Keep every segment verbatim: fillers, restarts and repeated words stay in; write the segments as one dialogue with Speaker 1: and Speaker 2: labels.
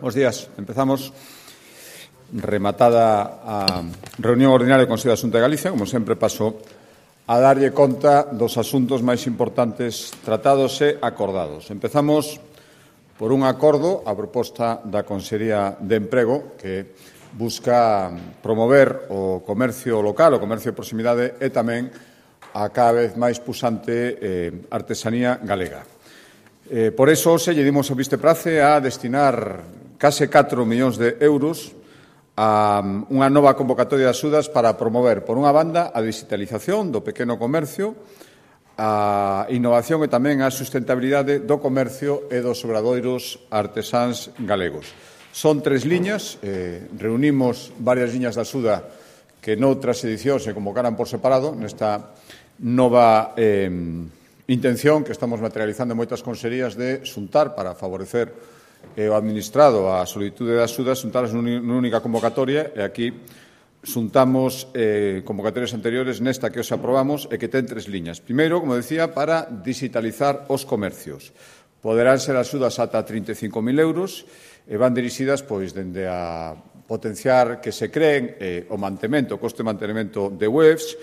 Speaker 1: Bos días. Empezamos rematada a reunión ordinaria do Consello da Xunta de Galicia. Como sempre, paso a darlle conta dos asuntos máis importantes tratados e acordados. Empezamos por un acordo a proposta da Consellería de Emprego que busca promover o comercio local, o comercio de proximidade e tamén a cada vez máis pusante eh, artesanía galega. Eh, por eso, se lle dimos o visteprace a destinar case catro millóns de euros a unha nova convocatoria de axudas para promover, por unha banda, a digitalización do pequeno comercio, a innovación e tamén a sustentabilidade do comercio e dos obradoiros artesáns galegos. Son tres liñas, eh, reunimos varias liñas de axuda que noutras edicións se convocaran por separado nesta nova eh, intención que estamos materializando en moitas consellerías de xuntar para favorecer e o administrado a solicitude de axudas xuntadas nunha única convocatoria e aquí xuntamos eh, convocatorias anteriores nesta que os aprobamos e que ten tres liñas. Primeiro, como decía, para digitalizar os comercios. Poderán ser axudas ata trinta e cinco mil euros e van dirixidas pois dende a potenciar que se creen eh, o mantemento, o coste de mantenimento de webs,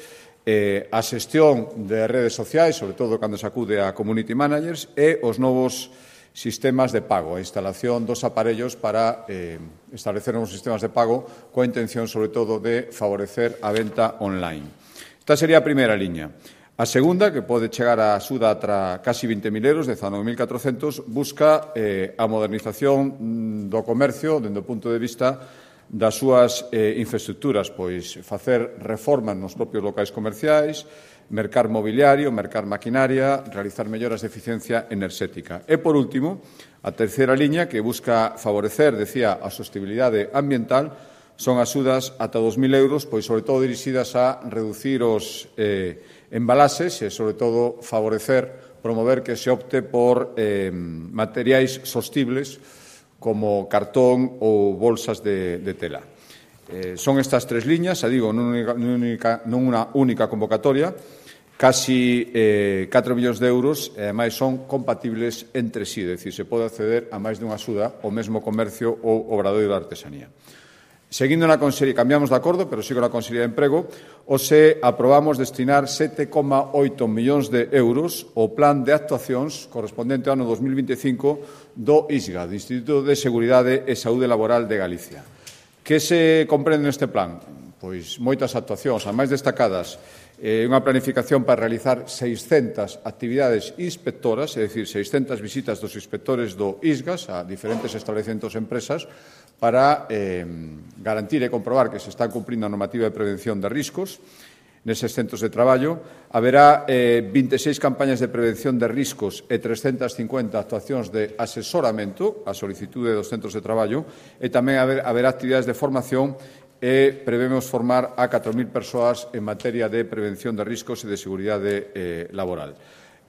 Speaker 1: eh, a xestión de redes sociais, sobre todo cando se acude a community managers, e os novos sistemas de pago, a instalación dos aparellos para eh, establecer novos sistemas de pago coa intención, sobre todo, de favorecer a venta online. Esta sería a primeira liña. A segunda, que pode chegar a axuda atra casi vinte mil euros, dezanove mil catrocentos, busca eh, a modernización do comercio dende o punto de vista das súas eh, infraestructuras, pois facer reformas nos propios locais comerciais, mercar mobiliario, mercar maquinaria, realizar melloras de eficiencia enerxética. E, por último, a terceira liña, que busca favorecer, decía, a sostenibilidade ambiental, son axudas ata dos mil euros, pois, sobre todo, dirixidas a reducir os eh, embalaxes e, sobre todo, favorecer, promover que se opte por eh, materiais sostibles como cartón ou bolsas de, de tela. Eh, son estas tres liñas, xa digo, nunha única, nunha única convocatoria, casi eh, catro millóns de euros, e ademais son compatibles entre sí, é dicir, se pode acceder a máis dunha axuda ao mesmo comercio ou obradoiro de artesanía. Seguindo na Consellería, cambiamos de acordo, pero sigo na Consellería de Emprego, hoxe aprobamos destinar sete coma oito millóns de euros ao plan de actuacións correspondente ao ano dos mil vinte e cinco do I S G A, do Instituto de Seguridade e Saúde Laboral de Galicia. Que se comprende neste plan? Pois moitas actuacións, as máis destacadas, eh, unha planificación para realizar seiscentas actividades inspectoras, é dicir, seiscentas visitas dos inspectores do I S G A a diferentes establecementos e empresas para eh, garantir e comprobar que se está cumprindo a normativa de prevención de riscos neses centros de traballo. Haberá eh, vinte e seis campañas de prevención de riscos e trescentas cincuenta actuacións de asesoramento a solicitude dos centros de traballo e tamén haber, haberá actividades de formación e prevemos formar a catro mil persoas en materia de prevención de riscos e de seguridade eh, laboral.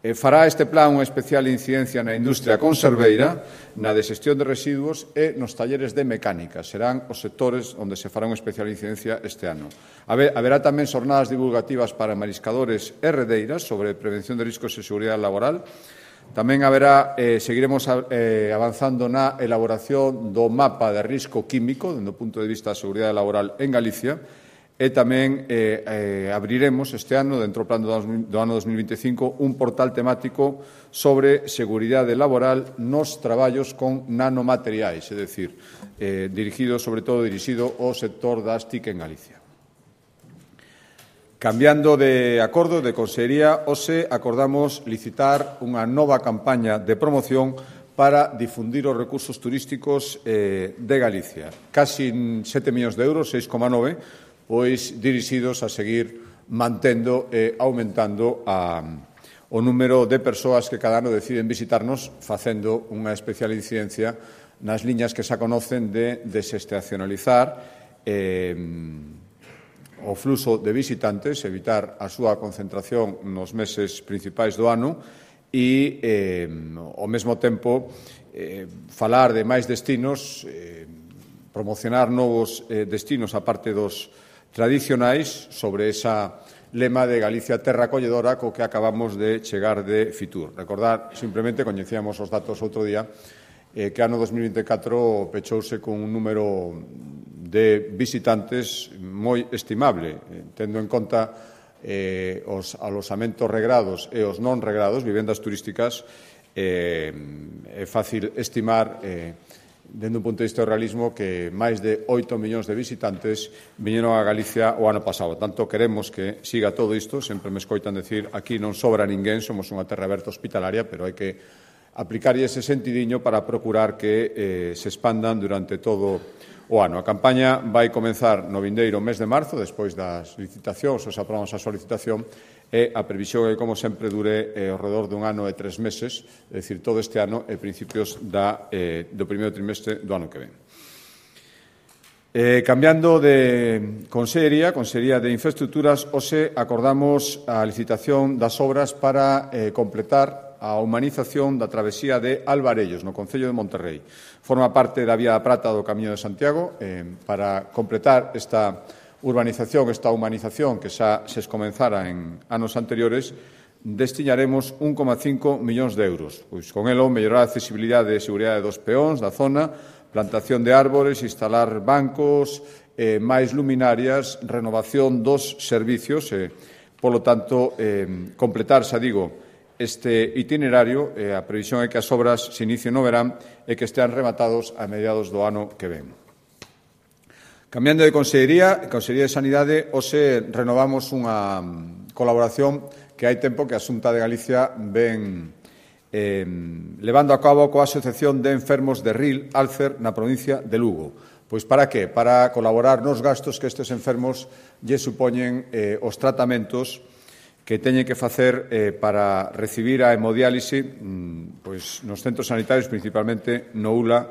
Speaker 1: E fará este plan unha especial incidencia na industria conserveira, na de xestión de residuos e nos talleres de mecánica. Serán os sectores onde se fará unha especial incidencia este ano. Haberá tamén xornadas divulgativas para mariscadores e redeiras sobre prevención de riscos e seguridade laboral. Tamén haberá, eh, seguiremos eh, avanzando na elaboración do mapa de risco químico, dende o punto de vista da seguridade laboral en Galicia, e tamén eh, eh, abriremos este ano, dentro do plan do, do ano dos mil vinte e cinco, un portal temático sobre seguridade laboral nos traballos con nanomateriais, é dicir, eh, dirigido, sobre todo, dirixido ao sector das T I C en Galicia. Cambiando de acordo de Consellería, hoxe acordamos licitar unha nova campaña de promoción para difundir os recursos turísticos eh, de Galicia. Casi sete millóns de euros, seis coma nove, pois dirixidos a seguir mantendo e aumentando a, o número de persoas que cada ano deciden visitarnos, facendo unha especial incidencia nas liñas que xa conocen de desestacionalizar eh, o fluxo de visitantes, evitar a súa concentración nos meses principais do ano e, eh, ao mesmo tempo, eh, falar de máis destinos, eh, promocionar novos eh, destinos a parte dos tradicionais sobre esa lema de Galicia terra acolledora co que acabamos de chegar de Fitur. Recordar, simplemente, coñecíamos os datos outro día, eh, que ano dos mil vinte e catro pechouse con un número de visitantes moi estimable, eh, tendo en conta eh, os alosamentos regrados e os non regrados, vivendas turísticas, eh, é fácil estimar, eh, dende un punto de vista do realismo, que máis de oito millóns de visitantes viñeron a Galicia o ano pasado. Tanto queremos que siga todo isto, sempre me escoitan decir aquí non sobra ninguén, somos unha terra aberta hospitalaria, pero hai que aplicar ese sentidiño para procurar que eh, se expandan durante todo o ano. A campaña vai comenzar no vindeiro mes de marzo, despois das licitacións, os aprobamos a solicitación, e a previsión é, como sempre, dure eh, ao redor dun ano e tres meses, é dicir, todo este ano e principios da, eh, do primeiro trimestre do ano que ven. Eh, cambiando de Consellería, Consellería de Infraestructuras, hoxe acordamos a licitación das obras para eh, completar a humanización da travesía de Alvarellos, no Concello de Monterrei. Forma parte da Vía da Prata do Camiño de Santiago. Eh, para completar esta urbanización, esta humanización que xa se comenzara en anos anteriores, destinaremos un coma cinco millóns de euros. Pois con elo mellorar a accesibilidade e seguridade dos peóns da zona, plantación de árbores, instalar bancos, eh, máis luminarias, renovación dos servicios e, polo tanto, eh, completar, xa digo, este itinerario. Eh, a previsión é que as obras se inicien no verán e que estean rematados a mediados do ano que ven. Cambiando de Consellería, Consellería de Sanidade, hoxe renovamos unha colaboración que hai tempo que a Xunta de Galicia ven eh, levando a cabo coa Asociación de Enfermos de R I L, Alcer, na provincia de Lugo. Pois para que? Para colaborar nos gastos que estes enfermos lle supoñen eh, os tratamentos que teñen que facer eh, para recibir a hemodiálise mm, pois nos centros sanitarios, principalmente no U L A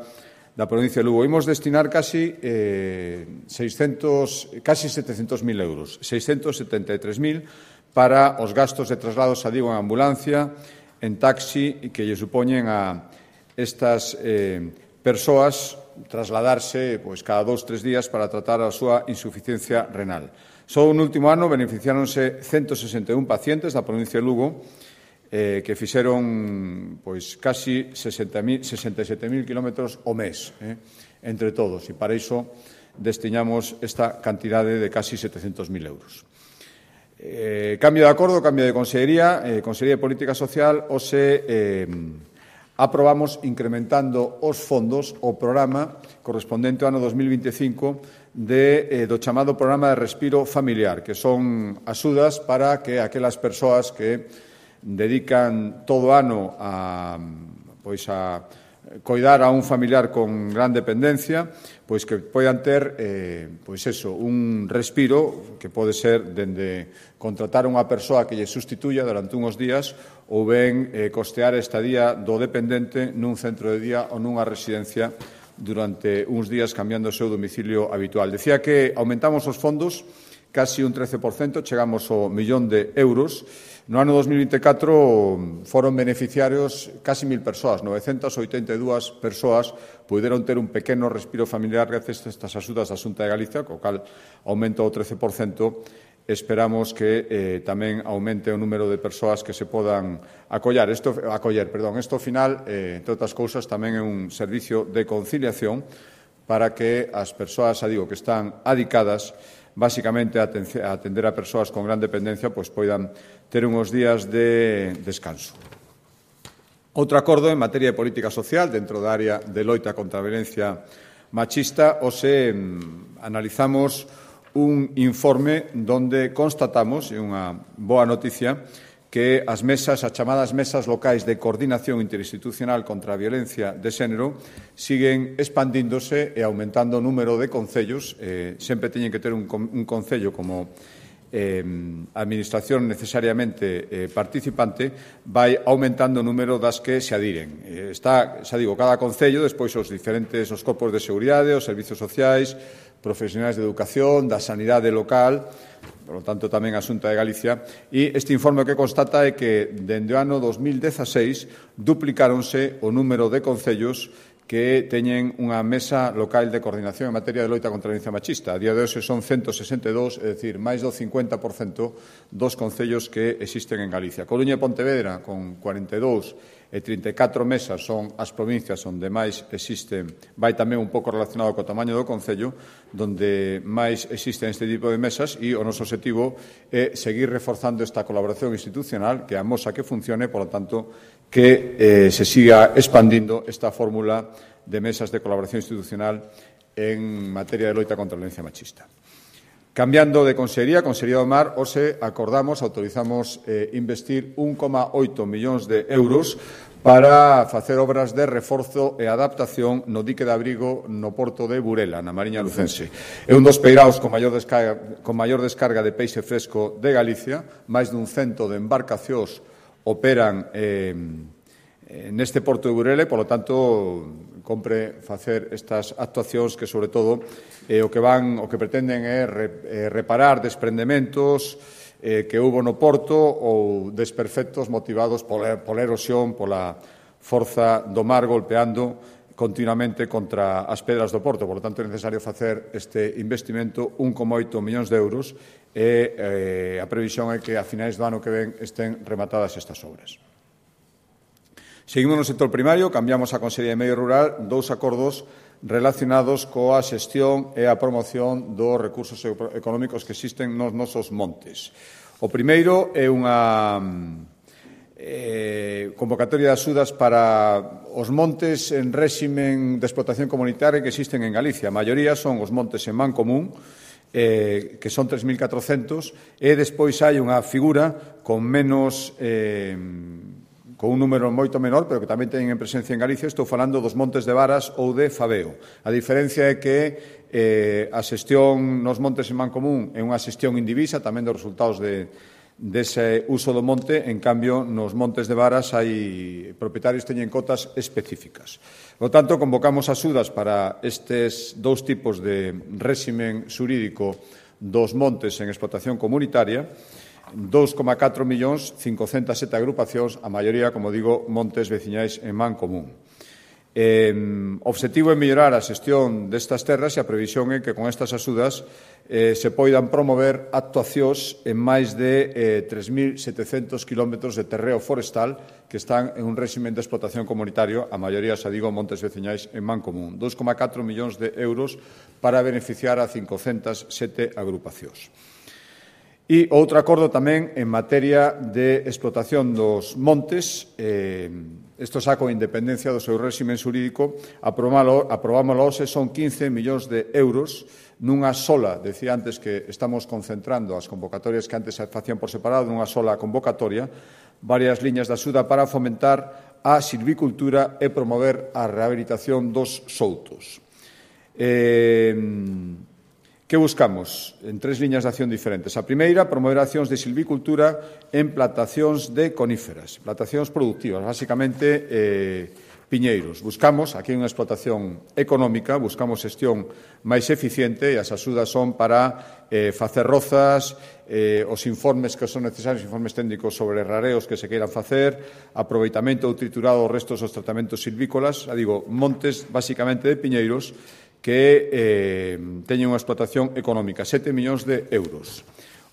Speaker 1: da provincia de Lugo. Imos destinar casi eh, seiscentos, casi setecientos mil euros, seiscentos setenta e tres mil para os gastos de traslados, a digo, en ambulancia, en taxi, que lle supoñen a estas eh, persoas trasladarse pois, cada dous, tres días para tratar a súa insuficiencia renal. Só un último ano beneficiáronse ciento sesenta e un pacientes da provincia de Lugo, eh, que fixeron pois, casi sesenta e sete mil kilómetros o mes, eh, entre todos, e para iso destinamos esta cantidade de casi setecientos mil euros. Eh, cambio de acordo, cambio de Consellería, eh, Consellería de Política Social, hoxe eh, aprobamos incrementando os fondos o programa correspondente ao ano dos mil vinte e cinco de, eh, do chamado Programa de Respiro Familiar, que son axudas para que aquelas persoas que dedican todo o ano a, pois a coidar a un familiar con gran dependencia, pois que poidan ter eh, pois eso, un respiro que pode ser dende contratar unha persoa que lle sustituya durante uns días ou ben eh, costear a estadía do dependente nun centro de día ou nunha residencia durante uns días cambiando o seu domicilio habitual. Decía que aumentamos os fondos casi un trece por cento, chegamos ao millón de euros. No ano dos mil vinte e catro foron beneficiarios casi mil persoas, novecentas oitenta e dúas persoas puderon ter un pequeno respiro familiar gracias a estas axudas da Xunta de Galicia, co cal aumenta o trece por cento. Esperamos que eh, tamén aumente o número de persoas que se podan acollar. Esto, acoller. Perdón, isto, ao final, eh, entre outras cousas, tamén é un servicio de conciliación para que as persoas, xa digo, que están adicadas basicamente a atender a persoas con gran dependencia, pois poidan ter uns días de descanso. Outro acordo en materia de política social dentro da área de loita contra a violencia machista, hoxe analizamos un informe donde constatamos, é unha boa noticia, que as mesas, as chamadas mesas locais de coordinación interinstitucional contra a violencia de xénero siguen expandíndose e aumentando o número de concellos. Eh, sempre teñen que ter un, un concello como eh, administración necesariamente eh, participante, vai aumentando o número das que se adiren. Eh, está, xa digo, cada concello, despois os diferentes os corpos de seguridade, os servizos sociais, profesionais de educación, da sanidade local, por lo tanto, tamén a Xunta de Galicia, e este informe que constata é que, dende o ano dos mil dezaseis, duplicáronse o número de concellos que teñen unha mesa local de coordinación en materia de loita contra a violencia machista. A día de hoxe son ciento sesenta e dous, é dicir, máis do cincuenta por cento dos concellos que existen en Galicia. Coruña e Pontevedra, con cuarenta e dous, e trinta e catro mesas son as provincias onde máis existen, vai tamén un pouco relacionado co tamaño do Concello, donde máis existen este tipo de mesas, e o noso objetivo é seguir reforzando esta colaboración institucional, que amosa que funcione, por lo tanto, que eh, se siga expandindo esta fórmula de mesas de colaboración institucional en materia de loita contra a violencia machista. Cambiando de Consellería, Consellería do Mar, hoxe acordamos, autorizamos eh, investir un coma oito millóns de euros para facer obras de reforzo e adaptación no dique de abrigo no porto de Burela, na Mariña Lucense. É un dos peiraos con maior descarga, con maior descarga de peixe fresco de Galicia. Máis dun cento de embarcacións operan eh, neste porto de Burela e, polo tanto, compre facer estas actuacións que, sobre todo, eh, o que van, o que pretenden é re, eh, reparar desprendementos eh, que houbo no porto ou desperfectos motivados pola, pola erosión, pola forza do mar golpeando continuamente contra as pedras do porto. Por lo tanto, é necesario facer este investimento, un coma oito millóns de euros, e eh, a previsión é que a finais do ano que ven estén rematadas estas obras. Seguimos no sector primario, cambiamos a Consellería de Medio Rural, dous acordos relacionados coa xestión e a promoción dos recursos económicos que existen nos nosos montes. O primeiro é unha eh, convocatoria de axudas para os montes en réximen de explotación comunitaria que existen en Galicia. A maioría son os montes en man común, eh, que son tres mil catrocentos, e despois hai unha figura con menos... Eh, con un número moito menor, pero que tamén teñen presencia en Galicia. Estou falando dos montes de Varas ou de Fabeo. A diferencia é que eh, a xestión nos montes en man común é unha xestión indivisa, tamén dos resultados de, dese uso do monte. En cambio, nos montes de Varas hai propietarios que teñen cotas específicas. Por tanto, convocamos axudas para estes dous tipos de réximen xurídico dos montes en explotación comunitaria, dous coma catro millóns, cincocentas sete agrupacións, a maioría, como digo, montes veciñais en man común. Eh, o obxectivo é mellorar a xestión destas terras e a previsión é que con estas axudas eh, se poidan promover actuacións en máis de eh, tres mil setecentos kilómetros de terreo forestal que están en un réximen de explotación comunitario, a maioría, xa digo, montes veciñais en man común. dous coma catro millóns de euros para beneficiar a cincocentas sete agrupacións. E outro acordo tamén en materia de explotación dos montes, eh, isto xa con independencia do seu réximen xurídico, aprobámoslo hoxe, son quince millóns de euros nunha sola, decía antes que estamos concentrando as convocatorias que antes se facían por separado, nunha sola convocatoria, varias liñas de axuda para fomentar a silvicultura e promover a rehabilitación dos soutos. Eh, Que buscamos? En tres liñas de acción diferentes. A primeira, promover accións de silvicultura en plantacións de coníferas, plantacións productivas, basicamente eh, piñeiros. Buscamos, aquí unha explotación económica, buscamos xestión máis eficiente e as axudas son para eh, facer rozas, eh, os informes que son necesarios, informes técnicos sobre rareos que se queiran facer, aproveitamento ou triturado dos restos dos tratamentos silvícolas, a digo, montes basicamente de piñeiros, que eh, teñen unha explotación económica, sete millóns de euros.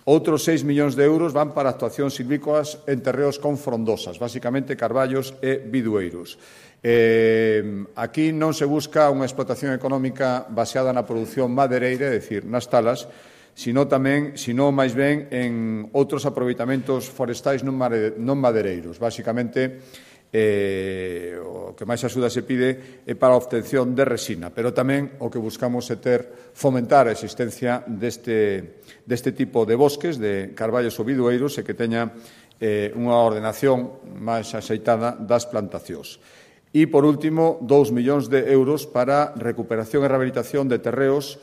Speaker 1: Outros seis millóns de euros van para actuacións silvícolas en terreos con frondosas, basicamente carballos e bidueiros. Eh, aquí non se busca unha explotación económica baseada na produción madereira, é dicir, nas talas, sino tamén, sino máis ben en outros aproveitamentos forestais non madereiros. Basicamente, Eh, o que máis axuda se pide é para a obtención de resina, pero tamén o que buscamos é ter, fomentar a existencia deste, deste tipo de bosques, de carballos ou bidueiros, e que teña eh, unha ordenación máis axeitada das plantacións. E, por último, dous millóns de euros para recuperación e rehabilitación de terreos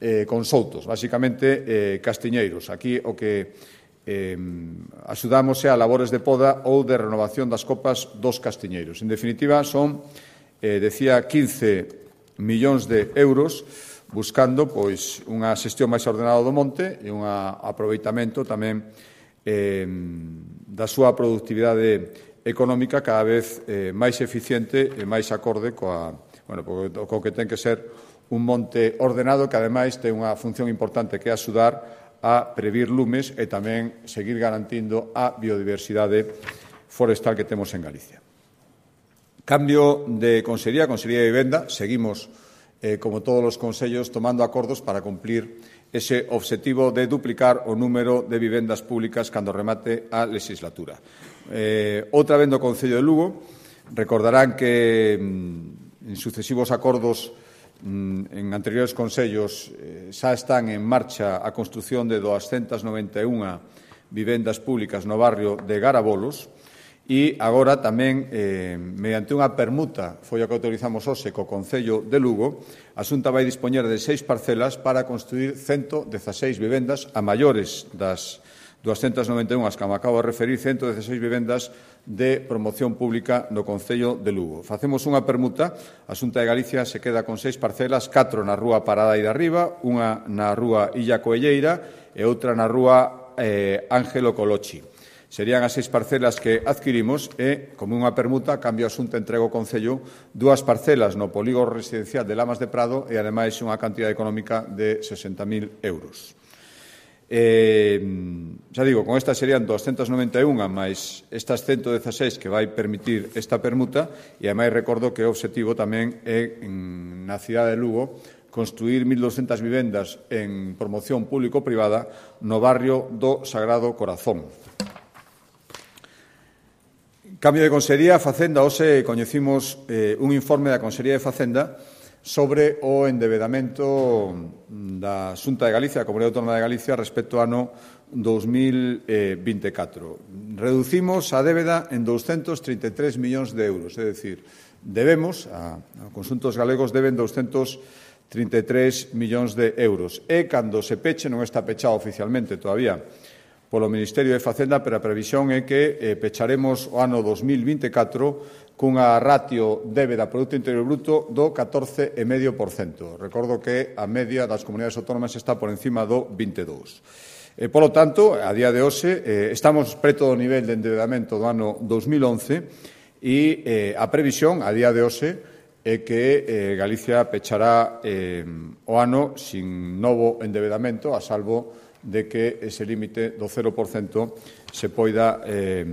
Speaker 1: eh, con soutos, basicamente eh, castiñeiros. Aquí o que Eh, axudamos a labores de poda ou de renovación das copas dos castiñeiros. En definitiva, son, eh, decía, quince millóns de euros buscando pois unha xestión máis ordenada do monte e un aproveitamento tamén eh, da súa productividade económica cada vez eh, máis eficiente e máis acorde coa, bueno, co que ten que ser un monte ordenado que, ademais, ten unha función importante que é axudar a previr lumes e tamén seguir garantindo a biodiversidade forestal que temos en Galicia. Cambio de Consellería, Consellería de Vivenda, seguimos, eh, como todos os consellos, tomando acordos para cumplir ese objetivo de duplicar o número de vivendas públicas cando remate a legislatura. Eh, outra vez do Concello de Lugo, recordarán que mm, en sucesivos acordos mm, en anteriores consellos eh, xa están en marcha a construción de doscientas noventa e unha vivendas públicas no barrio de Garabolos. E agora tamén, eh, mediante unha permuta, foi a que autorizamos hoxe co Concello de Lugo, a Xunta vai dispoñer de seis parcelas para construir ciento dieciséis vivendas a maiores das doscientas noventa e unha que me acabo de referir, ciento dieciséis vivendas de promoción pública no Concello de Lugo. Facemos unha permuta, a Xunta de Galicia se queda con seis parcelas, catro na rúa Parada e de Arriba, unha na rúa Illa Coelleira e outra na rúa eh, Ángelo Colochi. Serían as seis parcelas que adquirimos e, como unha permuta, cambio a Xunta entrega ao Concello dúas parcelas no polígono residencial de Lamas de Prado e, ademais, unha cantidad económica de sesenta mil euros. Eh, xa digo, con estas serían doscientas noventa e unha máis estas ciento dieciséis que vai permitir esta permuta e, ademais, recordo que o obxectivo tamén é, na cidade de Lugo, construir mil doscientas vivendas en promoción público-privada no barrio do Sagrado Corazón. Cambio de Consellería, Facenda. Hoxe coñecimos eh, un informe da Consellería de Facenda sobre o endebedamento da Xunta de Galicia, da Comunidade Autónoma de Galicia, respecto ao ano dos mil vinte e catro. Reducimos a débeda en doscientos trinta e tres millóns de euros, é dicir, debemos, a, a conxuntos galegos deben doscientos trinta e tres millóns de euros. E cando se peche, non está pechado oficialmente todavía polo Ministerio de Facenda, pero a previsión é que eh, pecharemos o ano dos mil vinte e catro cunha ratio débeda Produto Interior Bruto do catorce vírgula cinco por cento. Recordo que a media das comunidades autónomas está por encima do vinte e dous por cento. Eh, polo tanto, a día de hoxe, eh, estamos preto do nivel de endebedamento do ano dos mil once e eh, a previsión, a día de hoxe, é que eh, Galicia pechará eh, o ano sin novo endebedamento, a salvo de que ese límite do cero por cento se poida eh,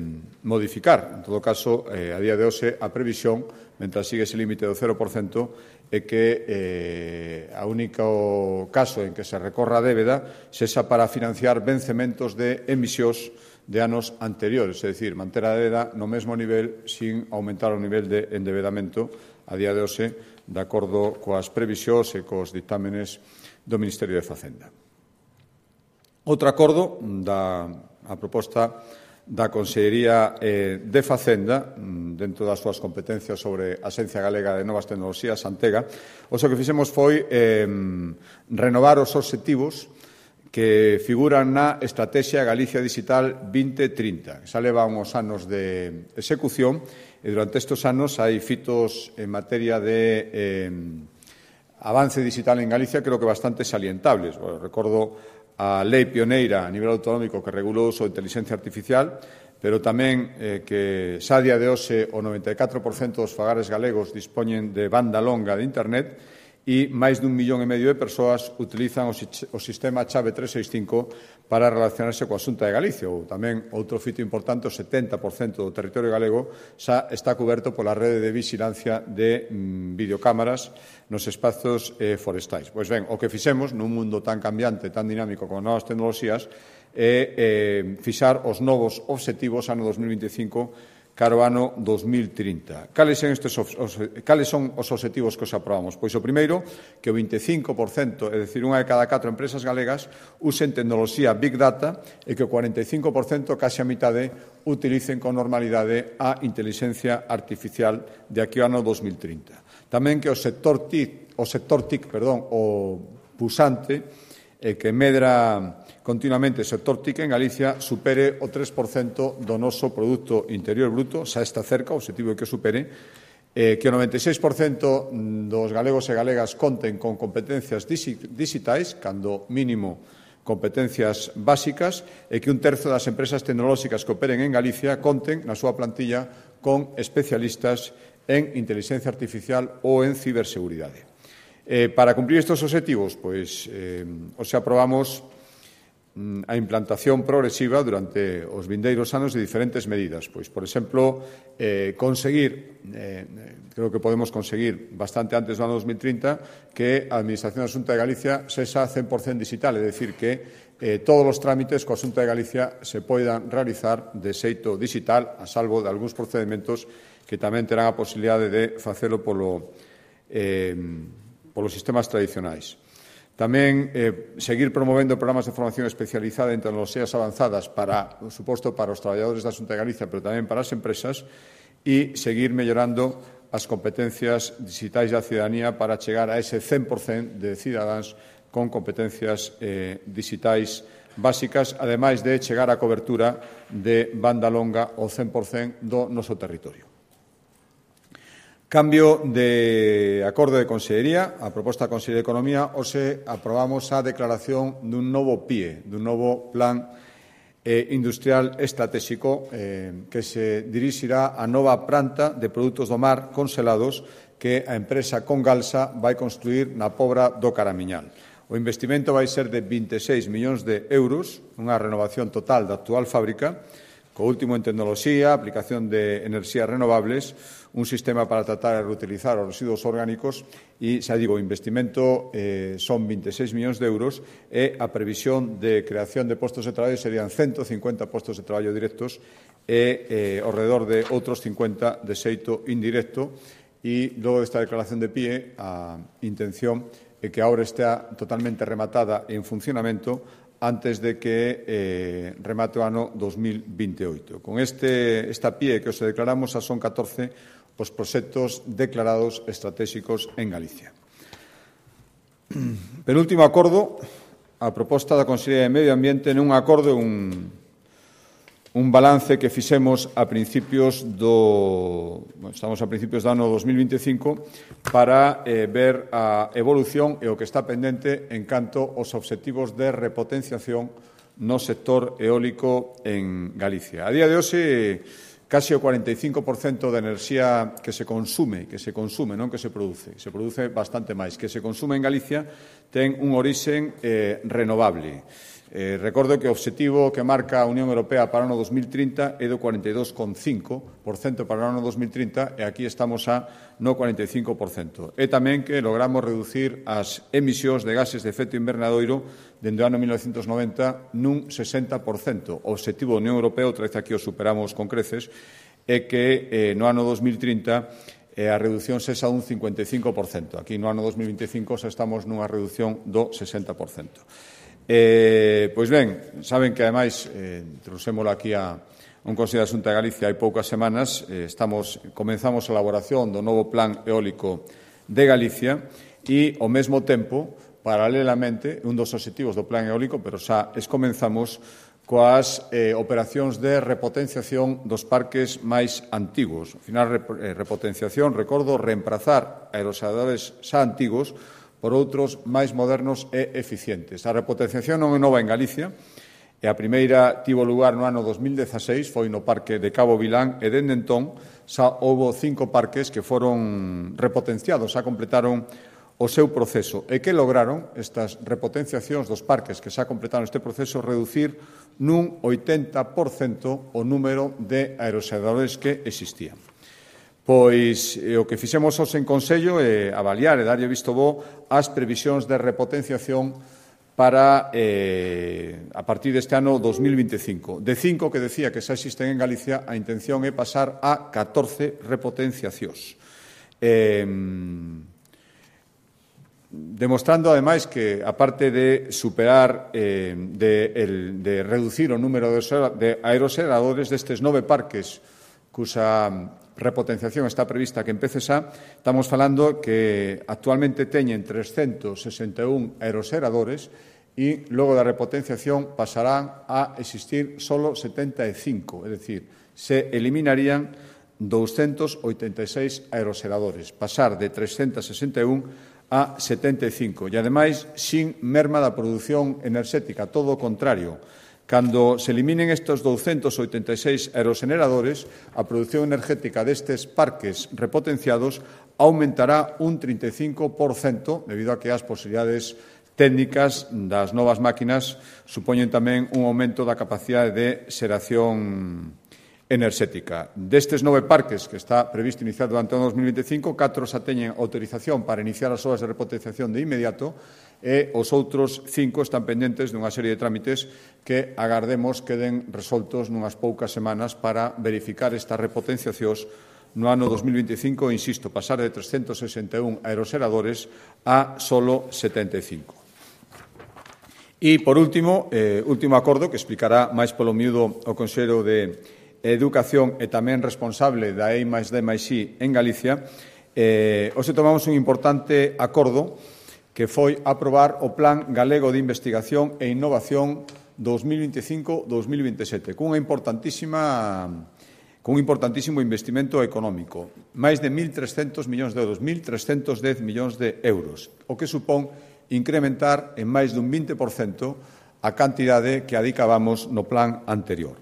Speaker 1: modificar. En todo caso, eh, a día de hoxe, a previsión, mentre sigue ese límite do cero por cento, é que eh, a único caso en que se recorra a débeda sexa para financiar vencementos de emisións de anos anteriores, é dicir, manter a débeda no mesmo nivel sin aumentar o nivel de endebedamento a día de hoxe, de acordo coas previsións e cos dictámenes do Ministerio de Facenda. Outro acordo da a proposta da Consellería eh, de Facenda, dentro das súas competencias sobre a Axencia Galega de Novas Tecnoloxías, Antega, o que fixemos foi eh, renovar os obxectivos que figuran na Estrategia Galicia Digital vinte trinta, que xa leva uns anos de execución e durante estes anos hai fitos en materia de eh, avance digital en Galicia creo que bastante salientables. Bueno, recordo a lei pioneira a nivel autonómico que regulou o uso de inteligencia artificial, pero tamén eh, que xa a día de hoxe o noventa e catro por cento dos fogares galegos dispoñen de banda longa de Internet e máis dun millón e medio de persoas utilizan o, o sistema chave trescentos sesenta e cinco para relacionarse coa Xunta de Galicia. Ou tamén, outro fito importante, o setenta por cento do territorio galego xa está coberto pola rede de vigilancia de mm, videocámaras nos espazos eh, forestais. Pois ben, o que fixemos nun mundo tan cambiante, tan dinámico como novas tecnoloxías, é eh, fixar os novos obxectivos ano dos mil vinte e cinco caro ano dos mil trinta. Cales son, estes, os, cales son os obxectivos que os aprobamos? Pois o primeiro, que o vinte e cinco por cento, é dicir, unha de cada catro empresas galegas, usen tecnoloxía Big Data e que o cuarenta e cinco por cento, case a mitade, utilicen con normalidade a inteligencia artificial de aquí ao ano dos mil trinta. Tamén que o sector TIC, o sector TIC, perdón, o pusante, eh, que medra continuamente o sector TIC en Galicia supere o tres por cento do noso Produto Interior Bruto, xa está cerca, o objetivo é que supere, eh, que o noventa e seis por cento dos galegos e galegas conten con competencias digitais, cando mínimo competencias básicas, e que un terzo das empresas tecnolóxicas que operen en Galicia conten na súa plantilla con especialistas en inteligencia artificial ou en ciberseguridade. Eh, para cumprir estes obxectivos, pois, eh, os aprobamos a implantación progresiva durante os vindeiros anos de diferentes medidas. Pois, por exemplo, eh, conseguir, eh, creo que podemos conseguir bastante antes do ano dos mil trinta, que a Administración da Xunta de Galicia sexa cen por cento digital, é dicir, que eh, todos os trámites coa Xunta de Galicia se poidan realizar de xeito digital, a salvo de algúns procedementos que tamén terán a posibilidade de facelo polo, eh, polos sistemas tradicionais. Tamén eh, seguir promovendo programas de formación especializada en tecnoloxías avanzadas para, por suposto, para os traballadores da Xunta de Galicia, pero tamén para as empresas, e seguir mellorando as competencias digitais da cidadanía para chegar a ese cen por cento de cidadáns con competencias eh, digitais básicas, ademais de chegar á cobertura de banda longa ao cen por cento do noso territorio. Cambio de acordo de Consellería, a proposta da Consellería de Economía, hoxe aprobamos a declaración dun novo P I E, dun novo Plan eh, Industrial Estratégico eh, que se dirixirá á nova planta de produtos do mar congelados que a empresa Congalsa vai construir na Pobra do Caramiñal. O investimento vai ser de vinte e seis millóns de euros, unha renovación total da actual fábrica, co último en tecnoloxía, aplicación de enerxías renovables, un sistema para tratar e reutilizar os residuos orgánicos e, xa digo, o investimento eh, son vinte e seis millóns de euros e a previsión de creación de postos de traballo serían ciento cincuenta postos de traballo directos e eh, ao redor de outros cincuenta de xeito indirecto e, logo desta declaración de P I E, a intención é que a obra estea totalmente rematada en funcionamento antes de que eh, remate o ano dos mil veintioito. Con este, esta P I E que os declaramos, xa son catorce os proxectos declarados estratégicos en Galicia. Penúltimo acordo, a proposta da Consellería de Medio Ambiente nun acordo, un, un balance que fixemos a principios do, bueno, estamos a principios do ano dos mil veinticinco para eh, ver a evolución e o que está pendente en canto aos obxectivos de repotenciación no sector eólico en Galicia. A día de hoxe, case o cuarenta e cinco por cento da enerxía que se consume, que se consume, non que se produce, se produce bastante máis, que se consume en Galicia ten un orixen eh, renovable. Eh, recordo que o obxectivo que marca a Unión Europea para o ano dos mil trinta é do cuarenta e dos coma cinco por cento para o ano dos mil trinta e aquí estamos a no cuarenta e cinco por cento. E tamén que logramos reducir as emisións de gases de efecto invernadoiro dende o ano mil novecentos noventa nun sesenta por cento. O obxectivo da Unión Europea, outra vez aquí o superamos con creces, é que eh, no ano dos mil trinta eh, a reducción sexa un cincuenta e cinco por cento. Aquí no ano dos mil veinticinco xa estamos nunha reducción do sesenta por cento. Eh, pois ben, saben que, ademais, eh, trouxémolo aquí a un Consello da Xunta de Galicia hai poucas semanas, eh, estamos, comenzamos a elaboración do novo Plan Eólico de Galicia e, ao mesmo tempo, paralelamente, un dos obxectivos do Plan Eólico, pero xa es comenzamos coas eh, operacións de repotenciación dos parques máis antigos. Ao final, rep eh, repotenciación, recordo, reemplazar aerogeneradores xa antigos por outros máis modernos e eficientes. A repotenciación non é nova en Galicia, e a primeira tivo lugar no ano dos mil dezaseis, foi no parque de Cabo Vilán, e dende entón xa houve cinco parques que foron repotenciados, xa completaron o seu proceso. E que lograron estas repotenciacións dos parques que xa completaron este proceso reducir nun oitenta por cento o número de aerogeneradores que existían. Pois eh, o que fixemos hoxe en Consello é avaliar e darlle visto bo as previsións de repotenciación para eh, a partir deste ano dos mil veinticinco. De cinco que decía que xa existen en Galicia, a intención é pasar a catorce repotenciacións. Eh, demostrando, ademais, que, aparte de superar, eh, de, el, de reducir o número de aerogeneradores destes nove parques cusa repotenciación está prevista que empece xa, estamos falando que actualmente teñen trescentos sesenta e un aerogeneradores e logo da repotenciación pasarán a existir solo setenta e cinco, é dicir, se eliminarían doscientos oitenta e seis aerogeneradores, pasar de trescentos sesenta e un a setenta e cinco, e ademais sin merma da produción enerxética, todo o contrario. Cando se eliminen estes doscientos oitenta e seis aerogeneradores, a produción energética destes parques repotenciados aumentará un trinta e cinco por cento debido a que as posibilidades técnicas das novas máquinas supoñen tamén un aumento da capacidade de xeración enerxética. Destes nove parques que está previsto iniciar durante o dos mil vinte e cinco, catro xa teñen autorización para iniciar as obras de repotenciación de inmediato e os outros cinco están pendentes dunha serie de trámites que agardemos queden resoltos nunhas poucas semanas para verificar estas repotenciacións no ano dos mil vinte e cinco, insisto, pasar de trescentos sesenta e un aeroxeradores a solo setenta e cinco. E, por último, eh, último acordo que explicará máis polo miúdo o Consello de Educación e tamén responsable da E I máis D máis I en Galicia, eh, hoxe tomamos un importante acordo que foi aprobar o Plan Galego de Investigación e Innovación dos mil vinte e cinco a dos mil vinte e sete, cunha importantísima cun importantísimo investimento económico, máis de mil trescentos millóns de euros, mil trescentos dez millóns de euros, o que supón incrementar en máis dun vinte por cento a cantidade que adicábamos no plan anterior.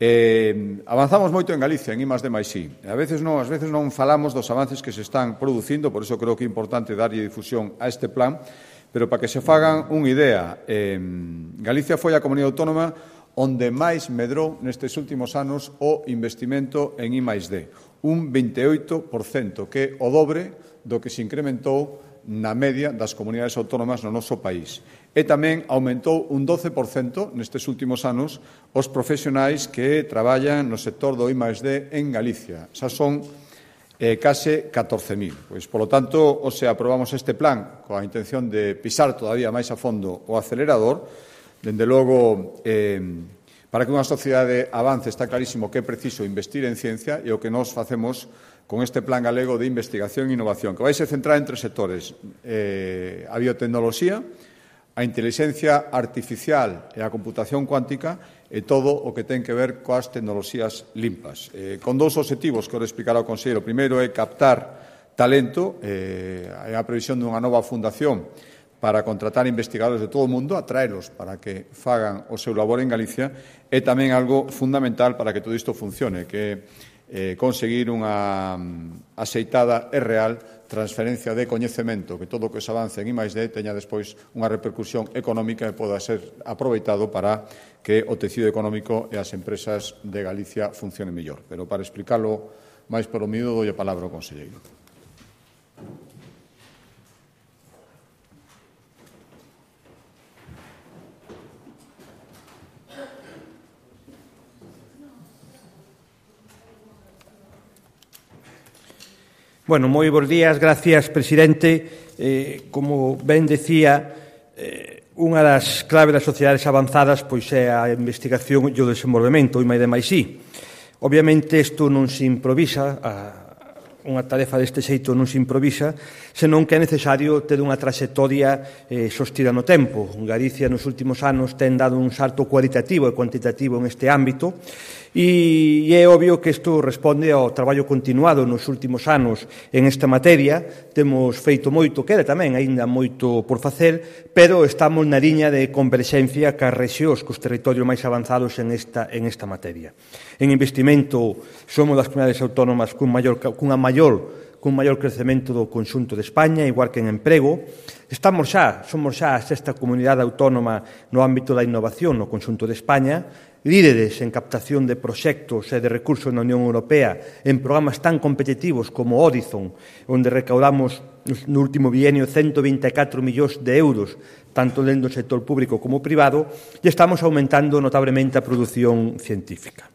Speaker 1: Eh, avanzamos moito en Galicia, en I máis D máis I. A veces non, ás veces non falamos dos avances que se están producindo, por iso creo que é importante darlle difusión a este plan, pero para que se fagan unha idea, eh, Galicia foi a comunidade autónoma onde máis medrou nestes últimos anos o investimento en I máis D, un vinte e oito por cento, que é o dobre do que se incrementou na media das comunidades autónomas no noso país. E tamén aumentou un doce por cento nestes últimos anos os profesionais que traballan no sector do I máis D en Galicia. Xa son eh, case catorce mil. Pois, polo tanto, hoxe aprobamos este plan coa intención de pisar todavía máis a fondo o acelerador. Dende logo, eh, para que unha sociedade avance está clarísimo que é preciso investir en ciencia e o que nós facemos con este Plan Galego de Investigación e Innovación, que vai se centrar en tres sectores: eh, a biotecnoloxía, a inteligencia artificial e a computación cuántica e todo o que ten que ver coas tecnoloxías limpas. Eh, con dous obxectivos que ora explicará o conselleiro. O primeiro é captar talento, eh, a previsión dunha nova fundación para contratar investigadores de todo o mundo, atraelos para que fagan o seu labor en Galicia, e tamén algo fundamental para que todo isto funcione, que é eh, conseguir unha axeitada e real transferencia de coñecemento, que todo o que se avance en I máis D teña despois unha repercusión económica e poda ser aproveitado para que o tecido económico e as empresas de Galicia funcionen mellor. Pero para explicarlo máis polo miúdo, dou a palabra ao conselleiro.
Speaker 2: Bueno, moi bons días, gracias, presidente. Eh, como ben decía, eh, unha das claves das sociedades avanzadas pois é a investigación e o desenvolvemento, o I máis D máis I. Obviamente, isto non se improvisa, a, unha tarefa deste xeito non se improvisa, senón que é necesario ter unha traxectoria eh, sostida no tempo. Galicia nos últimos anos ten dado un salto cualitativo e cuantitativo en este ámbito, e é obvio que isto responde ao traballo continuado nos últimos anos en esta materia. Temos feito moito, queda tamén aínda moito por facer, pero estamos na liña de converxencia cas rexións, cos territorios máis avanzados en esta, en esta materia. En investimento, somos das comunidades autónomas cun maior, cunha maior cun maior crecemento do conxunto de España, igual que en emprego. Estamos xa, somos xa a sexta comunidade autónoma no ámbito da innovación no conxunto de España, líderes en captación de proxectos e de recursos na Unión Europea en programas tan competitivos como Horizon, onde recaudamos no último bienio ciento vinte e catro millóns de euros, tanto dentro do sector público como privado, e estamos aumentando notablemente a produción científica.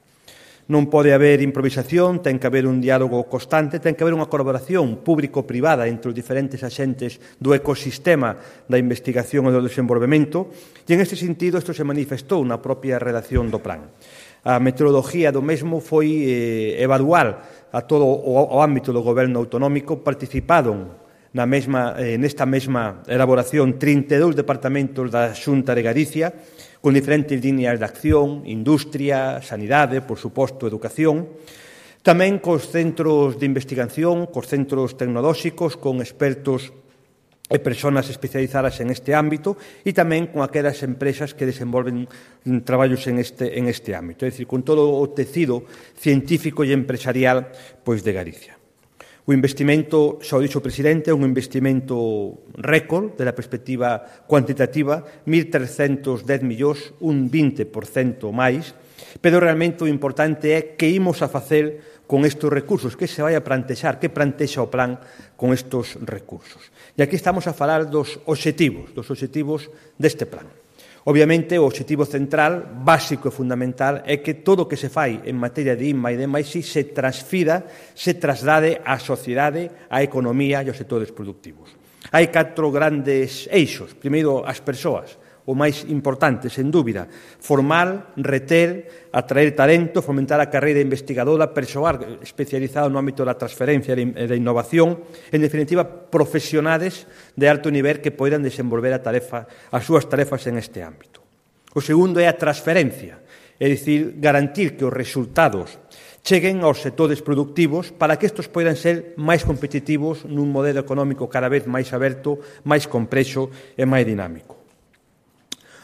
Speaker 2: Non pode haber improvisación, ten que haber un diálogo constante, ten que haber unha colaboración público-privada entre os diferentes axentes do ecosistema da investigación e do desenvolvemento, e en este sentido isto se manifestou na propia redacción do plan. A metodoloxía do mesmo foi eh, evaluar a todo o, o ámbito do goberno autonómico. Participaron na mesma, eh, nesta mesma elaboración trinta e dous departamentos da Xunta de Galicia, con diferentes líneas de acción, industria, sanidade, por suposto, educación, tamén cos centros de investigación, cos centros tecnolóxicos, con expertos e persoas especializadas en este ámbito, e tamén con aquelas empresas que desenvolven traballos en este, en este ámbito, é dicir, con todo o tecido científico e empresarial pois, de Galicia. O investimento, xa o dixo o presidente, é un investimento récord de la perspectiva cuantitativa, mil trescentos dez millóns, un vinte por cento máis, pero realmente o importante é que imos a facer con estes recursos, que se vai a plantexar, que plantexa o plan con estes recursos. E aquí estamos a falar dos obxectivos, dos obxectivos deste plan. Obviamente, o obxectivo central, básico e fundamental, é que todo o que se fai en materia de I N M A e de máis I se transfira, se traslade á sociedade, á economía e aos sectores productivos. Hai catro grandes eixos. Primeiro, as persoas, o máis importante, sen dúbida, formar, reter, atraer talento, fomentar a carreira investigadora, persoal especializado no ámbito da transferencia e da innovación, en definitiva, profesionales de alto nivel que poidan desenvolver a tarefa, as súas tarefas en este ámbito. O segundo é a transferencia, é dicir, garantir que os resultados cheguen aos sectores productivos para que estes poidan ser máis competitivos nun modelo económico cada vez máis aberto, máis complexo e máis dinámico.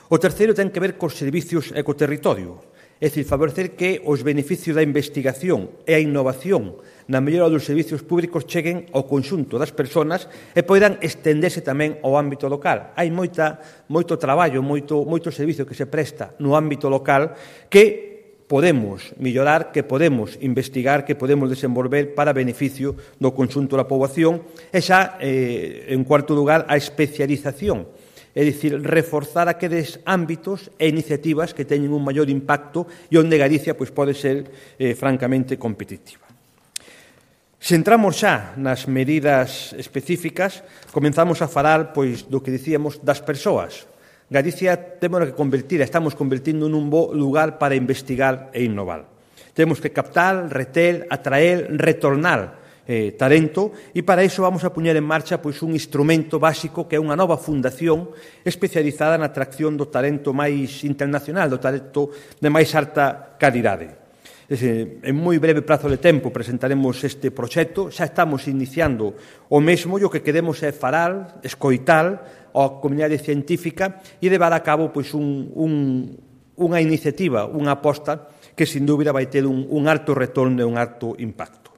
Speaker 2: O terceiro ten que ver cos servicios ecoterritorio, é dicir, favorecer que os beneficios da investigación e a innovación na mellora dos servicios públicos cheguen ao conxunto das persoas e poidan estenderse tamén ao ámbito local. Hai moita, moito traballo, moito, moito servicio que se presta no ámbito local que podemos mellorar, que podemos investigar, que podemos desenvolver para beneficio do conxunto da poboación e xa, eh, en cuarto lugar, a especialización. É dicir, reforzar aqueles ámbitos e iniciativas que teñen un maior impacto e onde Galicia pois, pode ser eh, francamente competitiva. Se entramos xa nas medidas específicas, comenzamos a falar pois, do que dicíamos das persoas. Galicia temos que convertir, estamos convertindo nun bo lugar para investigar e innovar. Temos que captar, reter, atraer, retornar Eh, talento, e para iso vamos a poñer en marcha pois, un instrumento básico que é unha nova fundación especializada na atracción do talento máis internacional, do talento de máis alta calidade. Ese, en moi breve prazo de tempo presentaremos este proxecto, xa estamos iniciando o mesmo e o que queremos é falar, escoitar a comunidade científica e levar a cabo pois, un, un, unha iniciativa, unha aposta que sin dúbida vai ter un, un alto retorno e un alto impacto.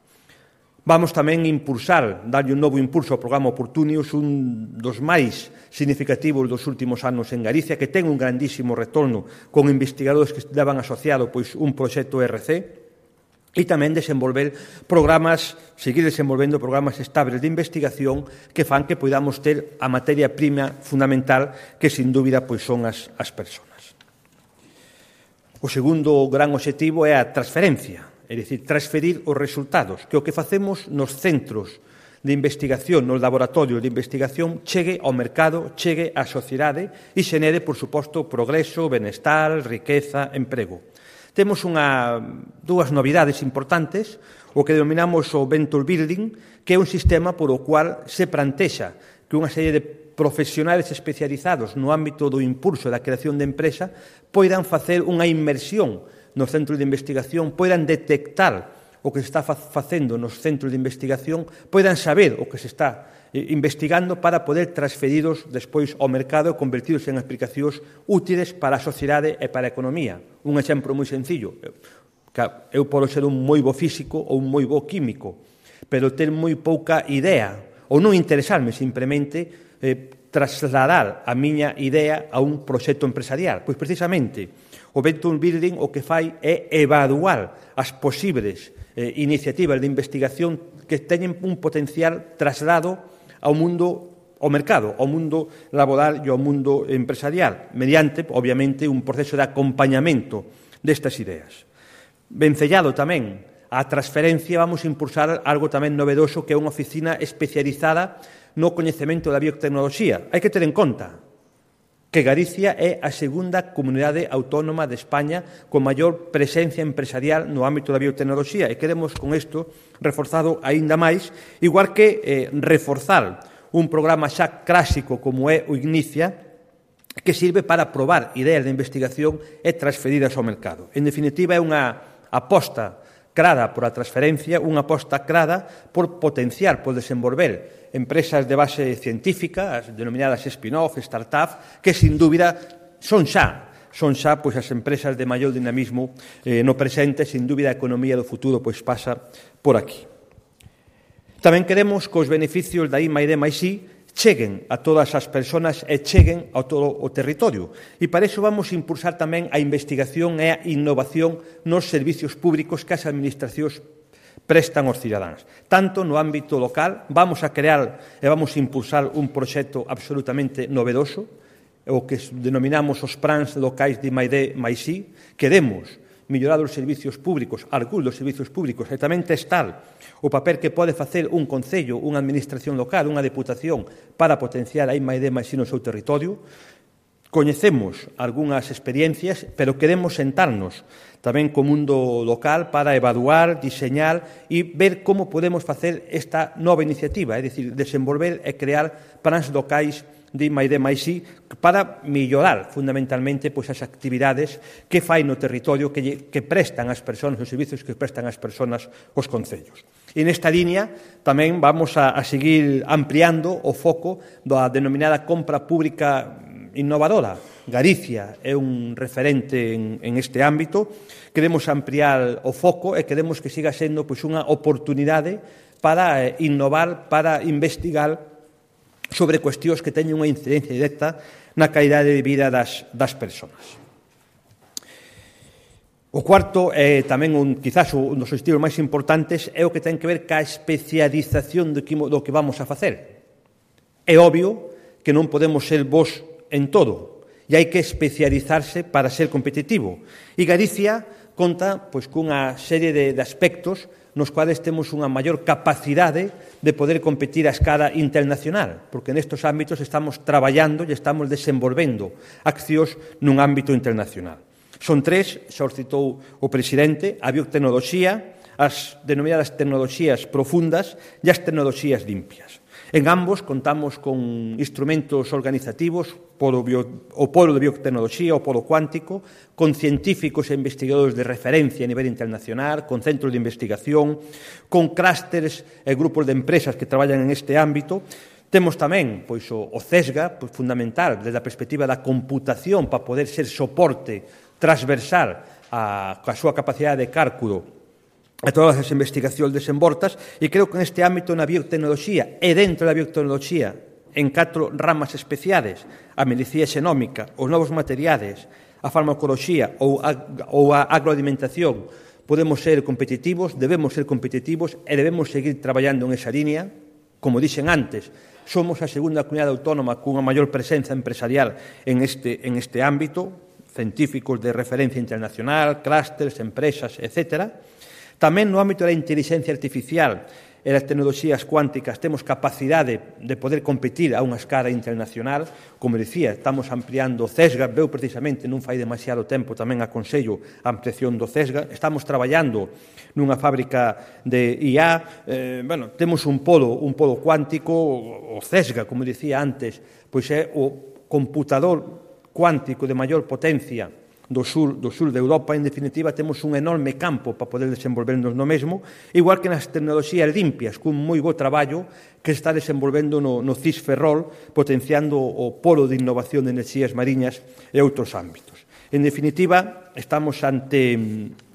Speaker 2: Vamos tamén impulsar, darlle un novo impulso ao programa Oportunius, un dos máis significativos dos últimos anos en Galicia, que ten un grandísimo retorno con investigadores que levan asociado pois, un proxecto R C, e tamén desenvolver programas, seguir desenvolvendo programas estables de investigación que fan que podamos ter a materia prima fundamental que, sin dúbida, pois, son as, as persoas. O segundo gran obxectivo é a transferencia. É dicir, transferir os resultados, que o que facemos nos centros de investigación, nos laboratorios de investigación, chegue ao mercado, chegue á sociedade e xenere, por suposto, progreso, benestar, riqueza, emprego. Temos unha, dúas novidades importantes, o que denominamos o Venture Building, que é un sistema por o cual se plantexa que unha serie de profesionales especializados no ámbito do impulso da creación de empresa poidan facer unha inmersión nos centros de investigación, poidan detectar o que se está facendo nos centros de investigación, poidan saber o que se está investigando para poder transferidos despois ao mercado e convertidos en aplicacións útiles para a sociedade e para a economía. Un exemplo moi sencillo. Eu podo ser un moi bo físico ou un moi bo químico, pero ter moi pouca idea, ou non interesarme simplemente eh, trasladar a miña idea a un proxecto empresarial. Pois precisamente o Venture Building o que fai é evaluar as posibles eh, iniciativas de investigación que teñen un potencial traslado ao mundo, ao mercado, ao mundo laboral e ao mundo empresarial, mediante, obviamente, un proceso de acompañamento destas ideas. Vencellado tamén á transferencia, vamos a impulsar algo tamén novedoso que é unha oficina especializada no coñecemento da biotecnoloxía. Hai que ter en conta que Galicia é a segunda comunidade autónoma de España con maior presencia empresarial no ámbito da biotecnoloxía e queremos con isto reforzado aínda máis, igual que eh, reforzar un programa xa clásico como é o Ignicia, que sirve para probar ideas de investigación e transferidas ao mercado. En definitiva, é unha aposta crada por a transferencia, unha aposta crada por potenciar, por desenvolver empresas de base científica, as denominadas spin-off, start-up, que, sin dúbida, son xa, son xa pois, as empresas de maior dinamismo eh, no presente, sin dúbida a economía do futuro pois, pasa por aquí. Tamén queremos que os beneficios da I máis D máis I cheguen a todas as persoas e cheguen a todo o territorio. E para iso vamos a impulsar tamén a investigación e a innovación nos servicios públicos que as administracións prestan aos cidadáns. Tanto no ámbito local, vamos a crear e vamos a impulsar un proxecto absolutamente novedoso, o que denominamos os plans locais de I máis D máis I, queremos mellorar os servicios públicos, algúns dos servicios públicos, e tamén testar o papel que pode facer un concello, unha administración local, unha deputación, para potenciar a I máis D máis I no seu territorio. Coñecemos algunhas experiencias, pero queremos sentarnos tamén co mundo local para evaluar, diseñar e ver como podemos facer esta nova iniciativa, é dicir, desenvolver e crear plans locais de I máis D máis I para mellorar fundamentalmente pois, as actividades que fai no territorio que, lle, que prestan as persoas, os servicios que prestan as persoas os concellos. E nesta línea tamén vamos a, a seguir ampliando o foco da denominada compra pública innovadora. Galicia é un referente en, en este ámbito. Queremos ampliar o foco e queremos que siga sendo pois, unha oportunidade para eh, innovar, para investigar sobre cuestións que teñen unha incidencia directa na calidade de vida das, das persoas. O cuarto, eh, tamén un, quizás un dos estilos máis importantes, é o que ten que ver ca especialización do que, do que vamos a facer. É obvio que non podemos ser bons en todo, e hai que especializarse para ser competitivo. E Galicia conta pois, cunha serie de, de aspectos nos cuales temos unha maior capacidade de poder competir a escala internacional, porque nestes ámbitos estamos traballando e estamos desenvolvendo accións nun ámbito internacional. Son tres, xa os citou o presidente, a biotecnoloxía, as denominadas tecnoloxías profundas e as tecnoloxías limpias. En ambos contamos con instrumentos organizativos, polo bio, o polo de biotecnoloxía, o polo cuántico, con científicos e investigadores de referencia a nivel internacional, con centros de investigación, con clústeres e grupos de empresas que traballan en este ámbito. Temos tamén pois, o, o CESGA, pois, fundamental, desde a perspectiva da computación, para poder ser soporte transversal a, a súa capacidade de cálculo a todas as investigacións desenvoltas, e creo que neste ámbito na biotecnoloxía e dentro da biotecnoloxía en catro ramas especiales, a medicina xenómica, os novos materiales, a farmacoloxía ou a, ou a agroalimentación, podemos ser competitivos, debemos ser competitivos e debemos seguir traballando en esa línea. Como dixen antes, somos a segunda comunidade autónoma cunha maior presenza empresarial en este, en este ámbito, científicos de referencia internacional, clústeres, empresas, etcétera. Tamén no ámbito da inteligencia artificial e das tecnoloxías cuánticas temos capacidade de poder competir a unha escala internacional. Como dicía, estamos ampliando o CESGA, veu precisamente non fai demasiado tempo tamén aconsello a ampliación do CESGA. Estamos traballando nunha fábrica de I A, eh, bueno, temos un polo, un polo cuántico, o CESGA, como dicía antes, pois é o computador cuántico de maior potencia do sur, do sur de Europa. En definitiva, temos un enorme campo para poder desenvolvernos no mesmo, igual que nas tecnoloxías limpias, cun moi bo traballo que se está desenvolvendo no, no C I S Ferrol, potenciando o polo de innovación de enerxías mariñas e outros ámbitos. En definitiva, estamos ante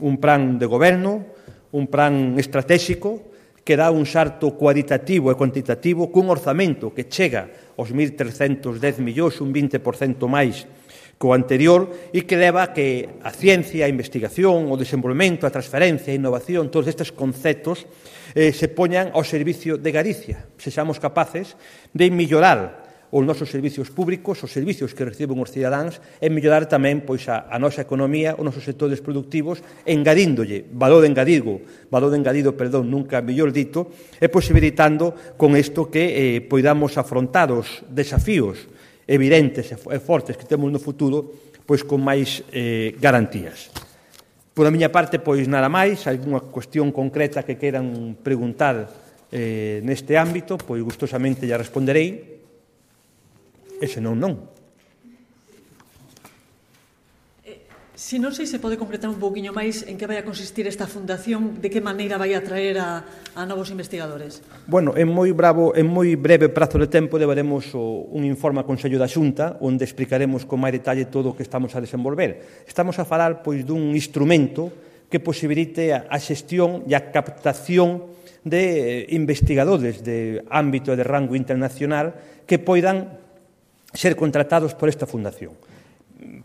Speaker 2: un plan de goberno, un plan estratégico, que dá un salto cualitativo e cuantitativo cun orzamento que chega aos mil trescentos dez millóns, un vinte por cento máis co anterior, e que leva que a ciencia, a investigación, o desenvolvemento, a transferencia, a innovación, todos estes conceptos eh, se poñan ao servicio de Galicia. Sexamos capaces de mellorar os nosos servicios públicos, os servicios que reciben os cidadáns, e mellorar tamén pois, a, a nosa economía, os nosos sectores productivos, engadíndolle valor engadido, valor engadido, perdón, nunca mellor dito, e posibilitando con isto que eh, poidamos afrontar os desafíos evidentes e fortes que temos no futuro, pois con máis eh, garantías. Por a miña parte, pois nada máis, algunha cuestión concreta que queiran preguntar eh, neste ámbito, pois gustosamente ya responderei, e senón non.
Speaker 3: Si non sei se pode concretar un pouquiño máis en que vai a consistir esta fundación, de que maneira vai a traer a, a novos investigadores.
Speaker 2: Bueno, en moi bravo, en moi breve prazo de tempo levaremos o, un informe ao Consello da Xunta onde explicaremos con máis detalle todo o que estamos a desenvolver. Estamos a falar pois dun instrumento que posibilite a xestión e a captación de investigadores de ámbito e de rango internacional que poidan ser contratados por esta fundación.